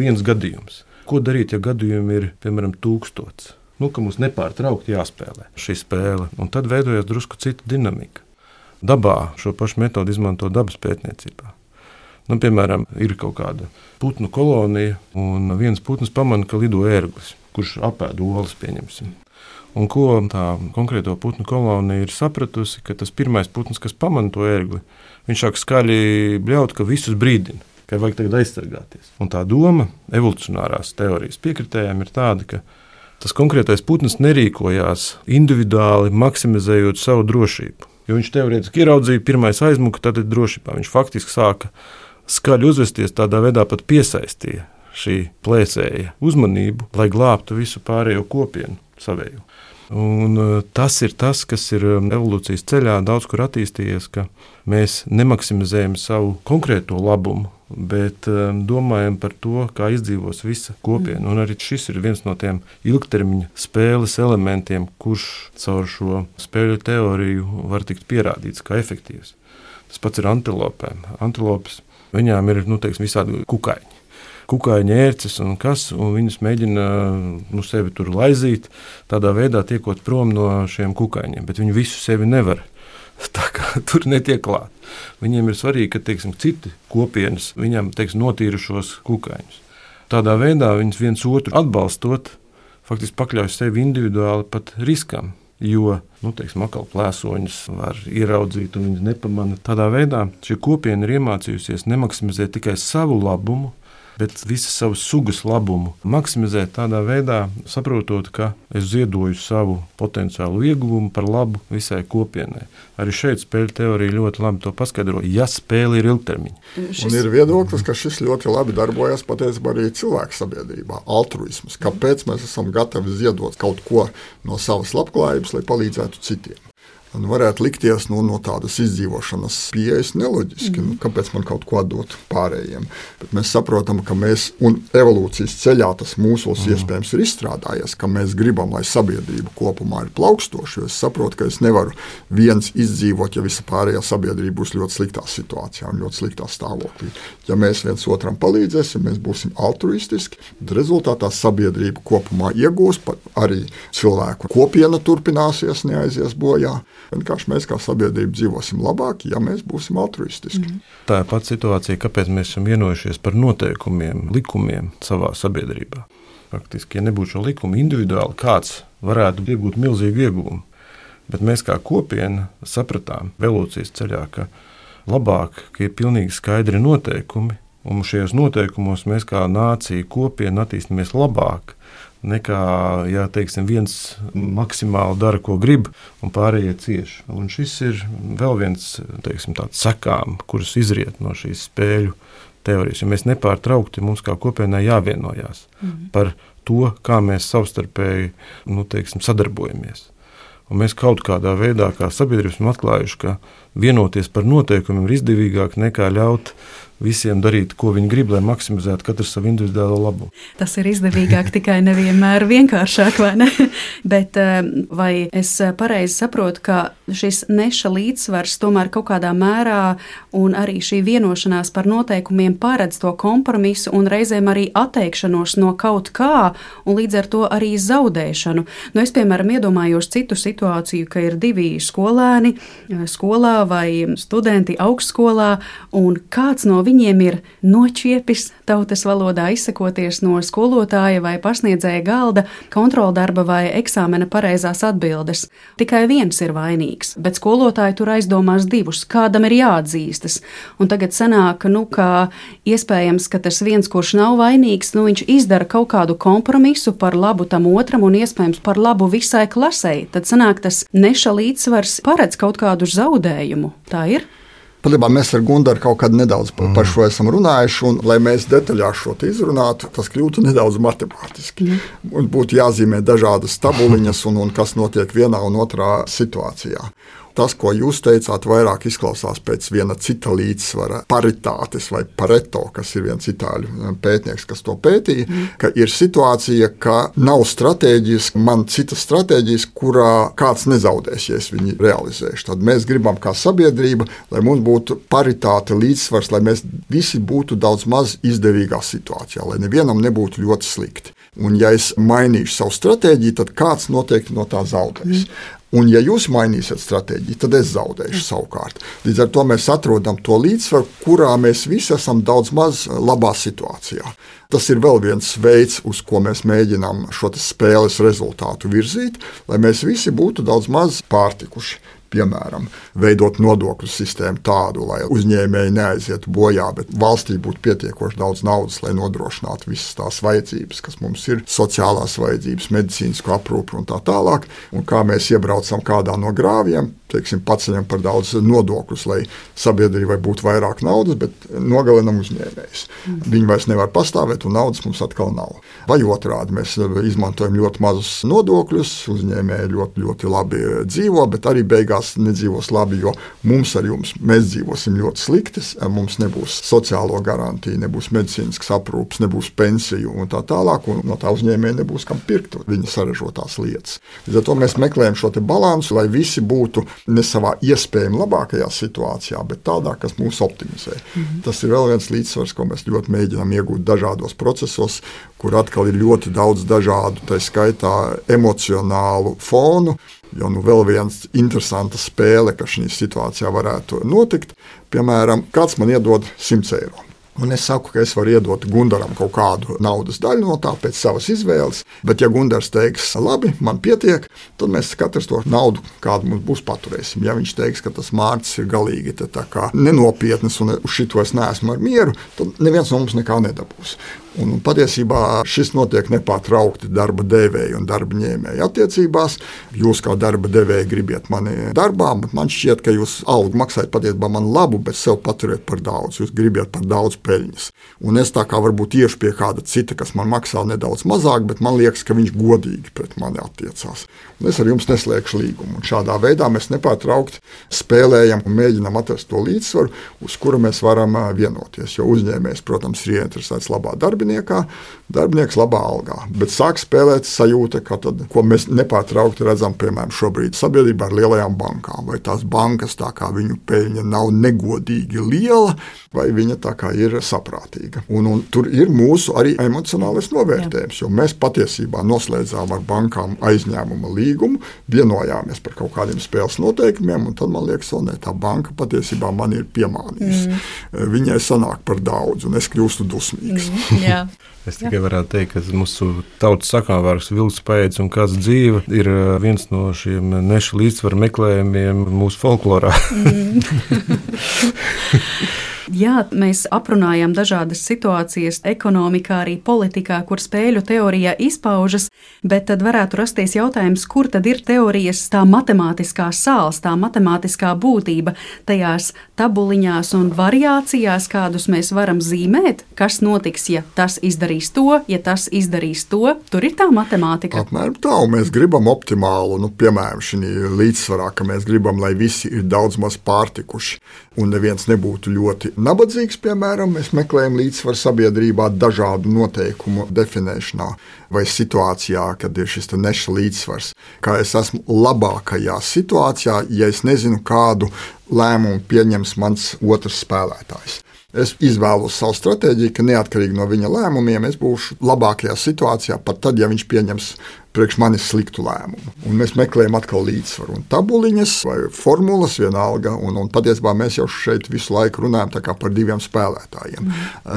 viens gadījums. Ko darīt, ja gadījumi ir, piemēram, 1000? Ka mums nepārtraukti jāspēlē šī spēle. Un tad veidojas drusku cita dinamika. Dabā šo pašu metodi izmanto dabas pētniecībā. Piemēram, ir kaut kāda putnu kolonija, un viens putns pamana, ka lido ērglis, kurš apēd olas, pieņemsim. Un ko tā konkrēto putnu kolonija ir sapratusi, ka tas pirmais putns, kas pamana to ērgli, viņš sāk skaļi bļaut, ka visus brīdina, ka vajag tagad aizsargāties. Un tā doma evolucionārās teorijas piekritējiem ir tāda, ka tas konkrētais putns nerīkojās individuāli, maksimizējot savu drošību. Jo viņš teorētiski ieraudzīja, pirmais aizmuka, tad ir drošībā. Viņš faktiski sāka skaļi uzvesties, tādā veidā pat piesaistīja šī plēsēja uzmanību, lai glābtu visu pārējo kopienu savēju. Un tas ir tas, kas ir evolūcijas ceļā daudz kur attīstījies, ka mēs nemaksimizējam savu konkrēto labumu, bet domājam par to, kā izdzīvos visa kopiena. Un arī šis ir viens no tiem ilgtermiņa spēles elementiem, kurš caur šo spēļu teoriju var tikt pierādīts kā efektīvs. Tas pats ir antilopēm. Antilopes, viņām ir visādi kukaiņi. Kukaiņa ērces un viņas mēģina sevi tur laizīt, tādā veidā tiekot prom no šiem kukaiņiem, bet viņi visu sevi nevar. Tā kā tur netiek klāt. Viņiem ir svarīgi, ka citi kopienas viņam notīra šos kukaiņus. Tādā veidā viņas viens otru atbalstot, faktiski pakļauj sevi individuāli pat riskam, jo atkal plēsoņus var ieraudzīt un viņas nepamana. Tādā veidā šī kopiena ir iemācījusies nemaksimizēt tikai savu labumu, bet visu savu sugas labumu maksimizēt tādā veidā, saprotot, ka es ziedoju savu potenciālu ieguvumu par labu visai kopienai. Arī šeit spēļu teorija ļoti labi to paskaidro, ja spēle ir ilgtermiņa. Un ir viedoklis, ka šis ļoti labi darbojas patiesībā arī cilvēku sabiedrībā, altruisms. Kāpēc mēs esam gatavi ziedot kaut ko no savas labklājības, lai palīdzētu citiem? Un varētu likties no tādas izdzīvošanas pieejas neloģiski. Kāpēc man kaut ko atdot pārējiem? Bet mēs saprotam, ka mēs, un evolūcijas ceļā tas mūsos iespējams ir izstrādājies, ka mēs gribam, lai sabiedrība kopumā ir plaukstoša. Es saprotu, ka es nevaru viens izdzīvot, ja visa pārējā sabiedrība būs ļoti sliktā situācijā un ļoti sliktā stāvoklī. Ja mēs viens otram palīdzēsim, mēs būsim altruistiski, tad rezultātā sabiedrība kopumā iegūs, arī cilvēku kopiena turpināsies, neaizies bojā. Vienkārši mēs kā sabiedrība dzīvosim labāk, ja mēs būsim altruistiski. Tā ir pati situācija, kāpēc mēs esam vienojušies par noteikumiem, likumiem savā sabiedrībā. Faktiski, ja nebūtu šo likumu individuāli, kāds varētu iegūt milzīgu ieguvumu. Bet mēs kā kopiena sapratām evolūcijas ceļā, ka labāk, ka ir pilnīgi skaidri noteikumi, un šajos noteikumos mēs kā nācija kopiena attīstamies labāk, nekā, ja teiksim, viens maksimāli dara, ko grib, un pārējie cieši. Un šis ir vēl viens, teiksim, tāds sekām, kuras izriet no šīs spēļu teorijas. Ja mēs nepārtraukti, mums kā kopienai jāvienojās par to, kā mēs savstarpēji, teiksim, sadarbojamies. Un mēs kaut kādā veidā, kā sabiedrības, esam atklājuši, ka vienoties par noteikumiem ir izdevīgāk nekā ļaut visiem darīt, ko viņi grib, lai maksimizētu katrs savu individuālo labumu. Tas ir izdevīgāk, tikai nevienmēr vienkāršāk, vai ne? Bet vai es pareizi saprotu, ka šis neša līdzsvars tomēr kaut kādā mērā un arī šī vienošanās par noteikumiem paredz to kompromisu un reizēm arī atteikšanos no kaut kā un līdz ar to arī zaudēšanu? Es, piemēram, iedomājos citu situāciju, ka ir divi skolēni skolā vai studenti augstskolā un kāds no viņiem ir nočiepis, tautas valodā izsakoties, no skolotāja vai pasniedzēja galda kontroldarba vai eksāmena pareizās atbildes. Tikai viens ir vainīgs, bet skolotāji tur aizdomās divus, kādam ir jāatzīstas. Un tagad sanāk, ka iespējams, ka tas viens, kurš nav vainīgs, viņš izdara kaut kādu kompromisu par labu tam otram un iespējams par labu visai klasei. Tad sanāk, tas neša līdzsvars paredz kaut kādu zaudējumu. Tā ir? Patiesībā mēs ar Gundaru kaut kad nedaudz par šo esam runājuši, un, lai mēs detaļās šo izrunātu, tas kļūtu nedaudz matemātiski. Būtu jāzīmē dažādas tabuliņas, un kas notiek vienā un otrā situācijā. Tas, ko jūs teicāt, vairāk izklausās pēc viena cita līdzsvara, paritātes vai pareto, kas ir viens itāļu pētnieks, kas to pētīja, ka ir situācija, ka nav stratēģijas, man citas stratēģijas, kurā kāds nezaudēs, ja es viņu realizēšu. Tad mēs gribam kā sabiedrība, lai mums būtu paritāte, līdzsvars, lai mēs visi būtu daudz maz izdevīgā situācijā, lai nevienam nebūtu ļoti slikti. Un ja es mainīšu savu stratēģiju, tad kāds noteikti no tā zaudēs. Un, ja jūs mainīsiet stratēģiju, tad es zaudēšu savukārt. Līdz ar to mēs atrodam to līdzsvaru, kurā mēs visi esam daudz maz labā situācijā. Tas ir vēl viens veids, uz ko mēs mēģinām šo spēles rezultātu virzīt, lai mēs visi būtu daudz maz pārtikuši. Piemēram, veidot nodokļu sistēmu tādu, lai uzņēmēji neaizietu bojā, bet valstī būtu pietiekoši daudz naudas, lai nodrošinātu visas tās vajadzības, kas mums ir, sociālās vajadzības, medicīnisko aprūpi un tā tālāk. Un kā mēs iebraucam kādā no grāvjiem, paceļam par daudz nodokļus, lai sabiedrībai būtu vairāk naudas, bet nogalinam uzņēmējus. Viņi vairs nevar pastāvēt, un naudas mums atkal nav. Vai otrādi, mēs izmantojam ļoti mazus nodokļus, uzņēmēji ļoti, ļoti labi dzīvo, bet arī beigās nedzīvos labi, jo mums ar jums, mēs dzīvosim ļoti slikti, mums nebūs sociālo garantiju, nebūs medicīniskas aprūpes, nebūs pensiju un tā tālāk, un no tā uzņēmēja nebūs kam pirkt viņa saražotās lietas. Līdz ar to mēs meklējam šo balansu, lai visi būtu ne savā iespējami labākajā situācijā, bet tādā, kas mūs optimizē. Tas ir vēl viens līdzsvars, ko mēs ļoti mēģinām iegūt dažādos procesos, kur atkal ir ļoti daudz dažādu, tā skaitā emocionālu fonu, jo vēl viens interesanta spēle, kas šī situācijā varētu notikt. Piemēram, kāds man iedod 100 eiro. Un es saku, ka es varu iedot Gundaram kaut kādu naudas daļu no tā pēc savas izvēles, bet ja Gundars teiks, labi, man pietiek, tad mēs katrs to naudu, kādu mums būs, paturēsim. Ja viņš teiks, ka tas Mārcis ir galīgi tā kā nenopietnas un uz šito es neesmu ar mieru, tad neviens no mums nekā nedabūs. Un patiesībā šis notiek nepārtraukti darba devēja un darba ņēmēja attiecībās. Jūs kā darba devēja gribiet mani darbā, bet man šķiet, ka jūs algu maksājat patiesībā man labu, bet sev paturiet par daudz. Jūs gribiet par daudz peļņas. Un es tā kā varbūt iešu pie kāda cita, kas man maksā nedaudz mazāk, bet man liekas, ka viņš godīgi pret mani attiecās. Un es ar jums neslēgšu līgumu. Un šādā veidā mēs nepārtraukti spēlējam un mēģinam atrast to līdzsvaru, uz kuru mēs varam vienoties. Jo uzņēmējs, protams, ir ieinteresēts labā darbiniekā, darbinieks labā algā, bet sāk spēlēt sajūta, ko mēs nepārtraukti redzam, piemēram, šobrīd sabiedrībā ar lielajām bankām. Vai tās bankas, tā kā viņu peļņa nav negodīgi liela, vai viņa tā kā ir saprātīga. Un tur ir mūsu arī emocionālais novērtējums, jo mēs patiesībā noslēdzām ar bankām aizņēmuma līgumu, vienojāmies par kaut kādiem spēles noteikumiem, un tad man liekas, tā banka patiesībā man ir piemānījusi. Viņai sanāk par daudz, un es kļūstu dusmīgs. Es tikai varētu teikt, ka mūsu tautas sakāmvārds vilks paēdis un kāds dzīve ir viens no šiem neša līdzsvaru meklējumiem mūsu folklorā. Jā, mēs aprunājām dažādas situācijas ekonomikā, arī politikā, kur spēļu teorija izpaužas, bet tad varētu rasties jautājums, kur tad ir teorijas tā matemātiskā sāls, tā matemātiskā būtība tajās tabuliņās un variācijās, kādus mēs varam zīmēt, kas notiks, ja tas izdarīs to, ja tas izdarīs to. Tur ir tā matemātika. Apmēram tā, un mēs gribam optimālu, piemēram, šī līdzsvarā, ka mēs gribam, lai visi ir daudz maz pārtikuši, un neviens nebūtu ļoti nabadzīgs, piemēram, mēs meklējam līdzsvaru sabiedrībā dažādu noteikumu definēšanā vai situācijā, kad ir šis neša līdzsvars. Kā es esmu labākajā situācijā, ja es nezinu, kādu lēmumu pieņems mans otrs spēlētājs. Es izvēlos savu stratēģiju, ka neatkarīgi no viņa lēmumiem es būšu labākajā situācijā, pat tad, ja viņš pieņems priekš manis sliktu lēmumu. Un mēs meklējam atkal līdzsvaru. Un tabuliņas vai formulas vienalga, un patiesībā mēs jau šeit visu laiku runājam tā kā par diviem spēlētājiem.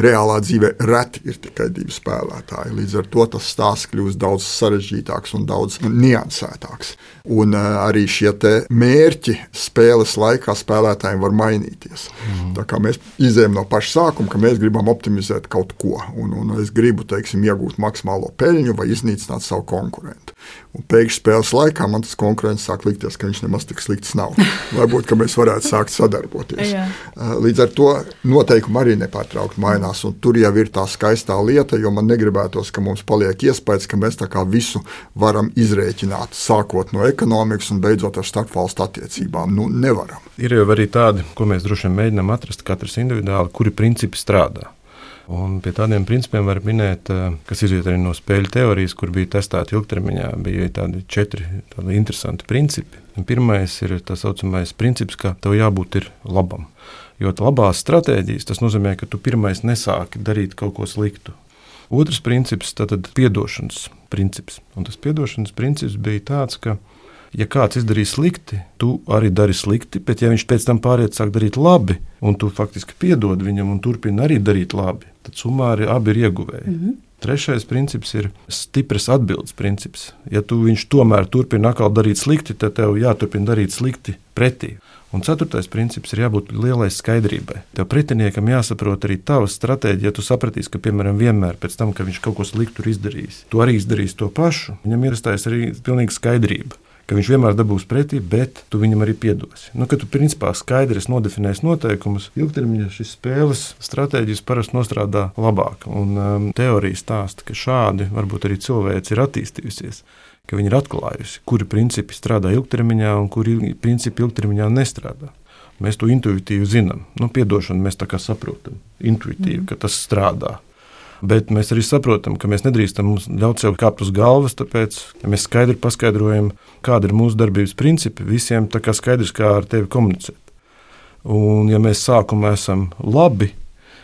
Reālā dzīvē reti ir tikai divi spēlētāji. Līdz ar to tas stāsts kļūst daudz sarežģītāks un daudz niansētāks. Un arī šie te mērķi spēles laikā spēlētājiem var mainīties. Tā kā mēs izējam no paša sākuma, ka mēs gribam optimizēt kaut ko. Un es gribu, iegūt maksimālo peļņu vai iznīcināt savu konkurentu. Un pēkšņi spēles laikā man tas konkurents sāk likties, ka viņš nemaz tik slikts nav. Varbūt, ka mēs varētu sākt sadarboties. Līdz ar to noteikumi arī nepārtraukti mainās, un tur jau ir tā skaistā lieta, jo man negribētos, ka mums paliek iespējas, ka mēs tā kā visu varam izrēķināt, sākot no ekonomikas un beidzot ar starpvalstu attiecībām. Nevaram. Ir jau arī tādi, ko mēs droši vien mēģinām atrast katrs individuāli, kuri principi strādā. Un pie tādiem principiem var minēt, kas izriet arī no spēļu teorijas, kur bija testēti ilgtermiņā, bija tādi 4 interesanti principi. Pirmais ir tā saucamais princips, ka tev jābūt ir labam. Jo labās stratēģijas, tas nozīmē, ka tu pirmais nesāki darīt kaut ko sliktu. Otrs princips, tātad piedošanas princips. Un tas piedošanas princips bija tāds, ka ja kāds izdarīs slikti, tu arī dari slikti, bet ja viņš pēc tam pāriet sāk darīt labi, un tu faktiski piedod viņam un turpini arī darīt labi, tad summā abi ir ieguvēji. Trešais princips ir stipras atbildes princips. Ja tu viņš tomēr turpina atkal darīt slikti, tad tev jāturpina darīt slikti pretī. Un ceturtais princips ir jābūt lielai skaidrībai. Tev pretiniekam jāsaprot arī tava stratēģija, ja tu sapratīsi, ka, piemēram, vienmēr pēc tam, ka viņš kaut ko sliktu ir izdarījis, tu arī izdarīsi to pašu, viņam ir iestājas arī pilnīga skaidrība, ka viņš vienmēr dabūs pretī, bet tu viņam arī piedosi. Kad tu principā skaidri nodefinēsi noteikumus, ilgtermiņā šīs spēles stratēģijas parasti nostrādā labāk. Un teorija stāsta, ka šādi varbūt arī cilvēks ir attīstījusies, ka viņi ir atklājusi, kuri principi strādā ilgtermiņā un kuri principi ilgtermiņā nestrādā. Mēs to intuitīvi zinām. Piedošanu mēs tā kā saprotam intuitīvi, ka tas strādā. Bet mēs arī saprotam, ka mēs nedrīkstam ļaut sev kāpt uz galvas, tāpēc, ja mēs skaidri paskaidrojam, kāda ir mūsu darbības principi, visiem tā kā skaidrs, kā ar tevi komunicēt. Un ja mēs sākumā esam labi,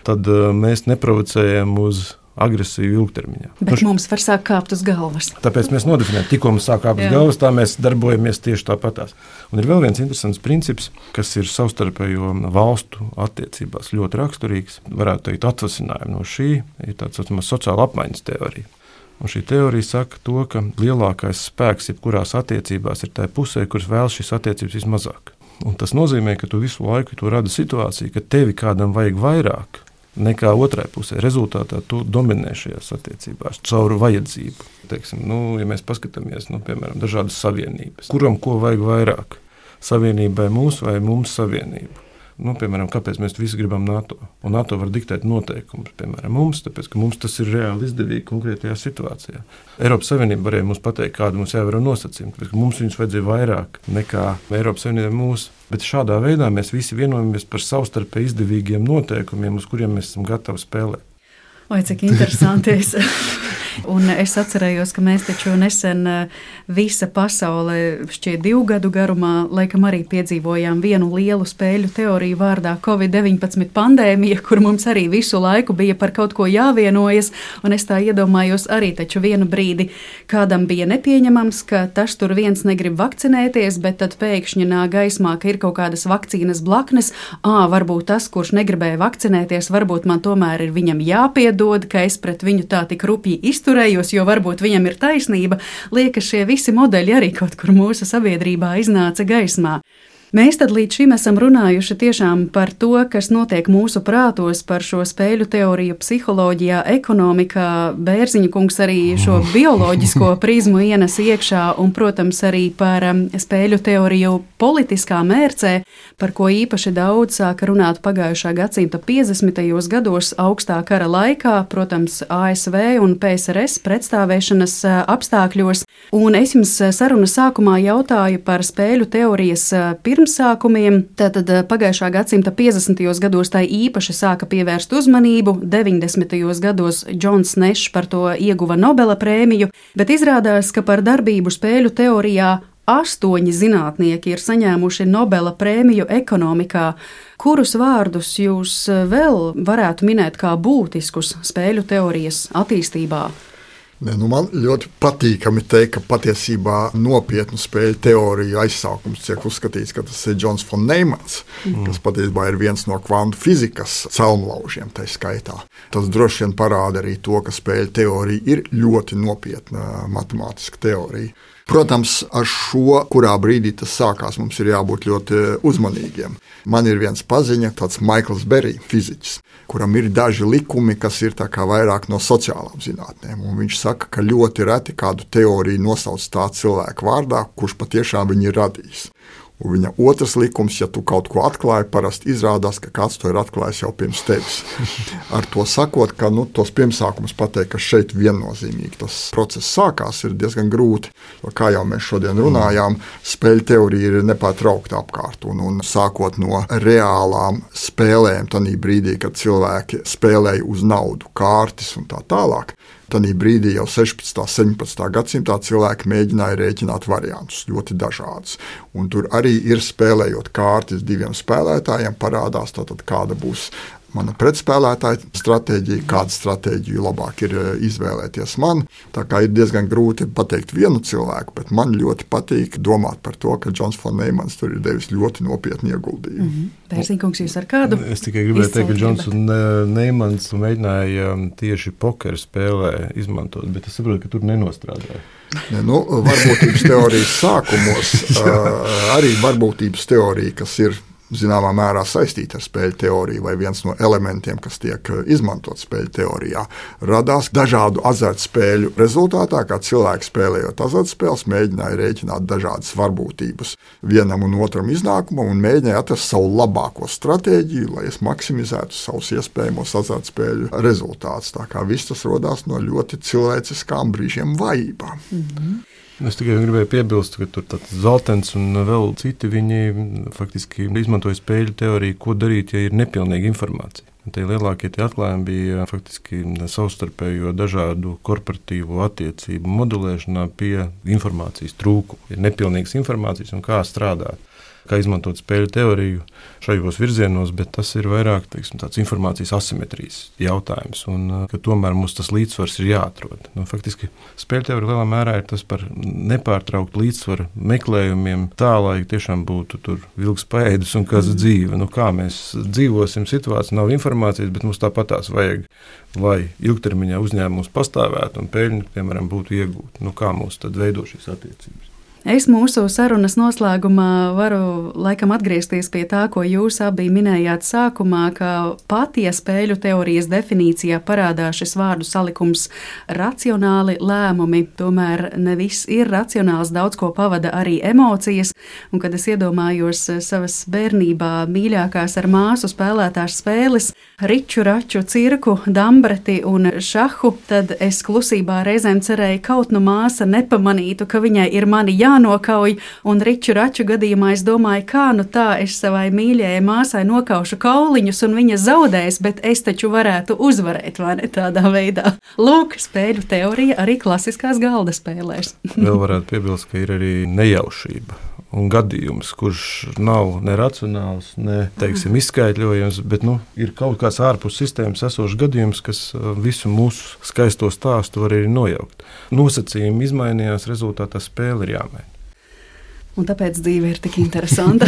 tad mēs neprovocējam uz agresīvu ilgtermiņā. Bet mums var sākt kāpt uz galvas. Tāpēc mēs nodefinējam, tikko mums sāk kāpt uz galvas, tā mēs darbojamies tieši tāpatās. Un ir vēl viens interesants princips, kas ir savstarpējo valstu attiecībās ļoti raksturīgs. Varētu teikt, atvasinājumu no šī ir tāds sociāla apmaiņas teorija. Un šī teorija saka to, ka lielākais spēks jebkurās attiecībās ir tai pusē, kuras vēlas šīs attiecības vismazāk. Un tas nozīmē, ka tu visu laiku rada situāciju, ka tevi kādam vajag vairāk nekā otrai pusē. Rezultātā tu dominē šajās attiecībās caur vajadzību. Ja mēs paskatāmies, piemēram, dažādas savienības, kuram ko vajag vairāk? Savienībai mūs vai mums savienību? Piemēram, kāpēc mēs visi gribam NATO? Un NATO var diktēt noteikumus, piemēram, mums, tāpēc, ka mums tas ir reāli izdevīgi konkrētajā situācijā. Eiropas Savienība varēja mums pateikt, kāda mums jāievēro nosacījumi, tāpēc, ka mums viņus vajadzēja vairāk nekā Eiropas Savienībai mūsu. Bet šādā veidā mēs visi vienojamies par savstarpēji izdevīgiem noteikumiem, uz kuriem mēs esam gatavi spēlēt. Oi, cik interesanti. Un es atcerējos, ka mēs taču nesen visa pasaule šķiet 2 gadu garumā laikam arī piedzīvojām vienu lielu spēļu teoriju vārdā Covid-19 pandēmija, kur mums arī visu laiku bija par kaut ko jāvienojas, un es tā iedomājos arī taču vienu brīdi kādam bija nepieņemams, ka tas tur viens negrib vakcinēties, bet tad pēkšņi nāk gaismā, ka ir kaut kādas vakcīnas blaknes, varbūt tas, kurš negribēja vakcinēties, varbūt man tomēr ir viņam jāpiedod, ka es pret viņu tā tik rupji izturējos, jo varbūt viņam ir taisnība. Liekas, šie visi modeļi arī kaut kur mūsu sabiedrībā iznāca gaismā. Mēs tad līdz šim esam runājuši tiešām par to, kas notiek mūsu prātos, par šo spēļu teoriju psiholoģijā, ekonomikā. Bērziņa kungs arī šo bioloģisko prizmu ienes iekšā un, protams, arī par spēļu teoriju politiskā mērcē, par ko īpaši daudz sāka runāt pagājušā gadsimta 50. gados augstā kara laikā, protams, ASV un PSRS pretstāvēšanas apstākļos. Un es jums sarunas sākumā jautāju par spēļu teorijas pirmsākumiem. Tātad pagājušā gadsimta 50. gados tai īpaši sāka pievērst uzmanību, 90. gados Džons Nešs par to ieguva Nobela prēmiju, bet izrādās, ka par darbību spēļu teorijā 8 zinātnieki ir saņēmuši Nobela prēmiju ekonomikā. Kurus vārdus jūs vēl varētu minēt kā būtiskus spēļu teorijas attīstībā? Man ļoti patīkami teikt, ka patiesībā nopietnu spēļu teoriju aizsākums tiek uzskatīts, ka tas ir Džons von Neimans, kas patiesībā ir viens no kvantu fizikas celmlaužiem tai skaitā. Tas droši vien parāda arī to, ka spēļu teorija ir ļoti nopietna matemātiska teorija. Protams, ar šo, kurā brīdī tas sākās, mums ir jābūt ļoti uzmanīgiem. Man ir viens paziņa, tāds Maikls Berī, fiziķis, kuram ir daži likumi, kas ir tā kā vairāk no sociālām zinātnēm. Un viņš saka, ka ļoti reti kādu teoriju nosauc tā cilvēka vārdā, kurš patiešām viņu ir radījis. Un viņa otrs likums, ja tu kaut ko atklāji, parasti izrādās, ka kāds to ir atklājis jau pirms tevis. Ar to sakot, ka tos pirmsākumus pateikt, ka šeit viennozīmīgi tas process sākās, ir diezgan grūti. Jo, kā jau mēs šodien runājām, spēļu teorija ir nepārtraukti apkārt. Un sākot no reālām spēlēm, tanī brīdī, kad cilvēki spēlēja uz naudu, kārtis un tā tālāk, tanī brīdī jau 16. un 17. gadsimtā cilvēki mēģināja rēķināt variantus, ļoti dažādus. Un tur arī ir spēlējot kārtas 2 spēlētājiem, parādās tātad, kāda būs mana pretspēlētāja stratēģija, kādu stratēģiju labāk ir izvēlēties man. Tā kā ir diezgan grūti pateikt vienu cilvēku, bet man ļoti patīk domāt par to, ka Džons von Neimans tur ir devis ļoti nopietnu ieguldījumu. Pērsīkungs, jūs ar kādu? Es tikai gribēju teikt, ka Džons Neimans mēģināja tieši pokeru spēlē izmantot, bet es saprotu, ka tur nenostrādāja. Varbūtības teorijas sākumos arī varbūtības teorija, kas ir zināmā mērā saistīta ar spēļu teoriju vai viens no elementiem, kas tiek izmantot spēļu teorijā, radās dažādu azartspēļu rezultātā, kā cilvēki spēlējot azartspēles, mēģināja rēķināt dažādas varbūtības vienam un otram iznākumam un mēģināja atrast savu labāko stratēģiju, lai es maksimizētu savus iespējamos azartspēļu rezultātus. Tā kā viss tas rodās no ļoti cilvēciskām brīžiem vājībām. Es tikai gribēju piebilst, ka tur Zaltens un vēl citi viņi faktiski izmantoja spēļu teoriju, ko darīt, ja ir nepilnīga informācija. Tie lielākie atklājumi bija faktiski savstarpējo dažādu korporatīvo attiecību modelēšanā pie informācijas trūkuma. Ir nepilnīgas informācijas un kā strādāt. Kā izmantot spēļu teoriju šajos virzienos, bet tas ir vairāk tāds informācijas asimetrijas jautājums, un ka tomēr mums tas līdzsvars ir jāatrod. Faktiski spēļu teorija lielā mērā ir tas par nepārtrauktu līdzsvaru meklējumiem tā, lai tiešām būtu tur vilks paēdis un kas dzīve. Kā mēs dzīvosim situāciju, nav informācijas, bet mums tāpatās vajag, lai ilgtermiņā uzņēmums pastāvētu un peļņu, piemēram, būtu iegūta. Kā mums tad veido šīs attiecības? Es mūsu sarunas noslēgumā varu laikam atgriezties pie tā, ko jūs abi minējāt sākumā, ka pat, ja spēļu teorijas definīcijā parādās šis vārdu salikums racionāli lēmumi, tomēr ne viss ir racionāls, daudz ko pavada arī emocijas, un kad es iedomājos savas bērnībā mīļākās ar māsu spēlētās spēles, riču, raču, cirku, dambreti un šahu, tad es klusībā reizēm cerēju, kaut nu māsa nepamanītu, ka viņai ir mani jānokauj, un riču raču gadījumā es domāju, kā nu tā es savai mīļajai māsai nokaušu kauliņus, un viņa zaudēs, bet es taču varētu uzvarēt, vai ne tādā veidā. Lūk, spēļu teorija arī klasiskās galda spēlēs. Vēl varētu piebilst, ka ir arī nejaušība un gadījums, kurš nav ne racionāls, ne, teiksim, izskaidrojams, bet ir kaut kāds ārpus sistēmas esošs gadījums, kas visu mūsu skaisto stāstu var arī nojaukt. Nosacījumi izmainījās, rezultātā spēle ir jāmaina. Un tāpēc dzīve ir tik interesanta,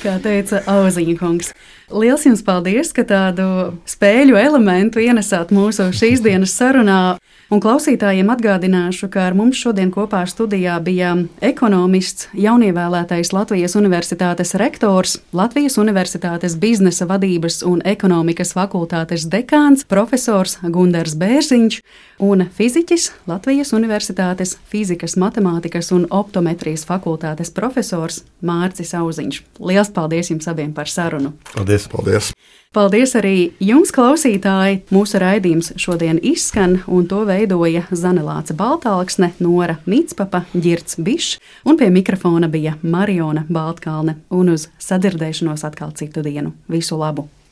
kā teica Auziņa kungs. Liels jums paldies, ka tādu spēļu elementu ienesāt mūsu šīs dienas sarunā. Un klausītājiem atgādināšu, ka ar mums šodien kopā studijā bija ekonomists, jaunievēlētais Latvijas Universitātes rektors, Latvijas Universitātes biznesa vadības un ekonomikas fakultātes dekāns, profesors Gundars Bērziņš un fiziķis, Latvijas Universitātes fizikas, matemātikas un optometrijas fakultātes profesors Mārcis Auziņš. Liels paldies jums abiem par sarunu! Paldies! Paldies! Paldies arī jums, klausītāji! Mūsu raidījums šodien izskan, un to veidoja Zanelāce Baltalksne, Nora Micpapa, Ģirds Bišs, un pie mikrofona bija Mariona Baltkalne. Un uz sadzirdēšanos atkal citu dienu. Visu labu!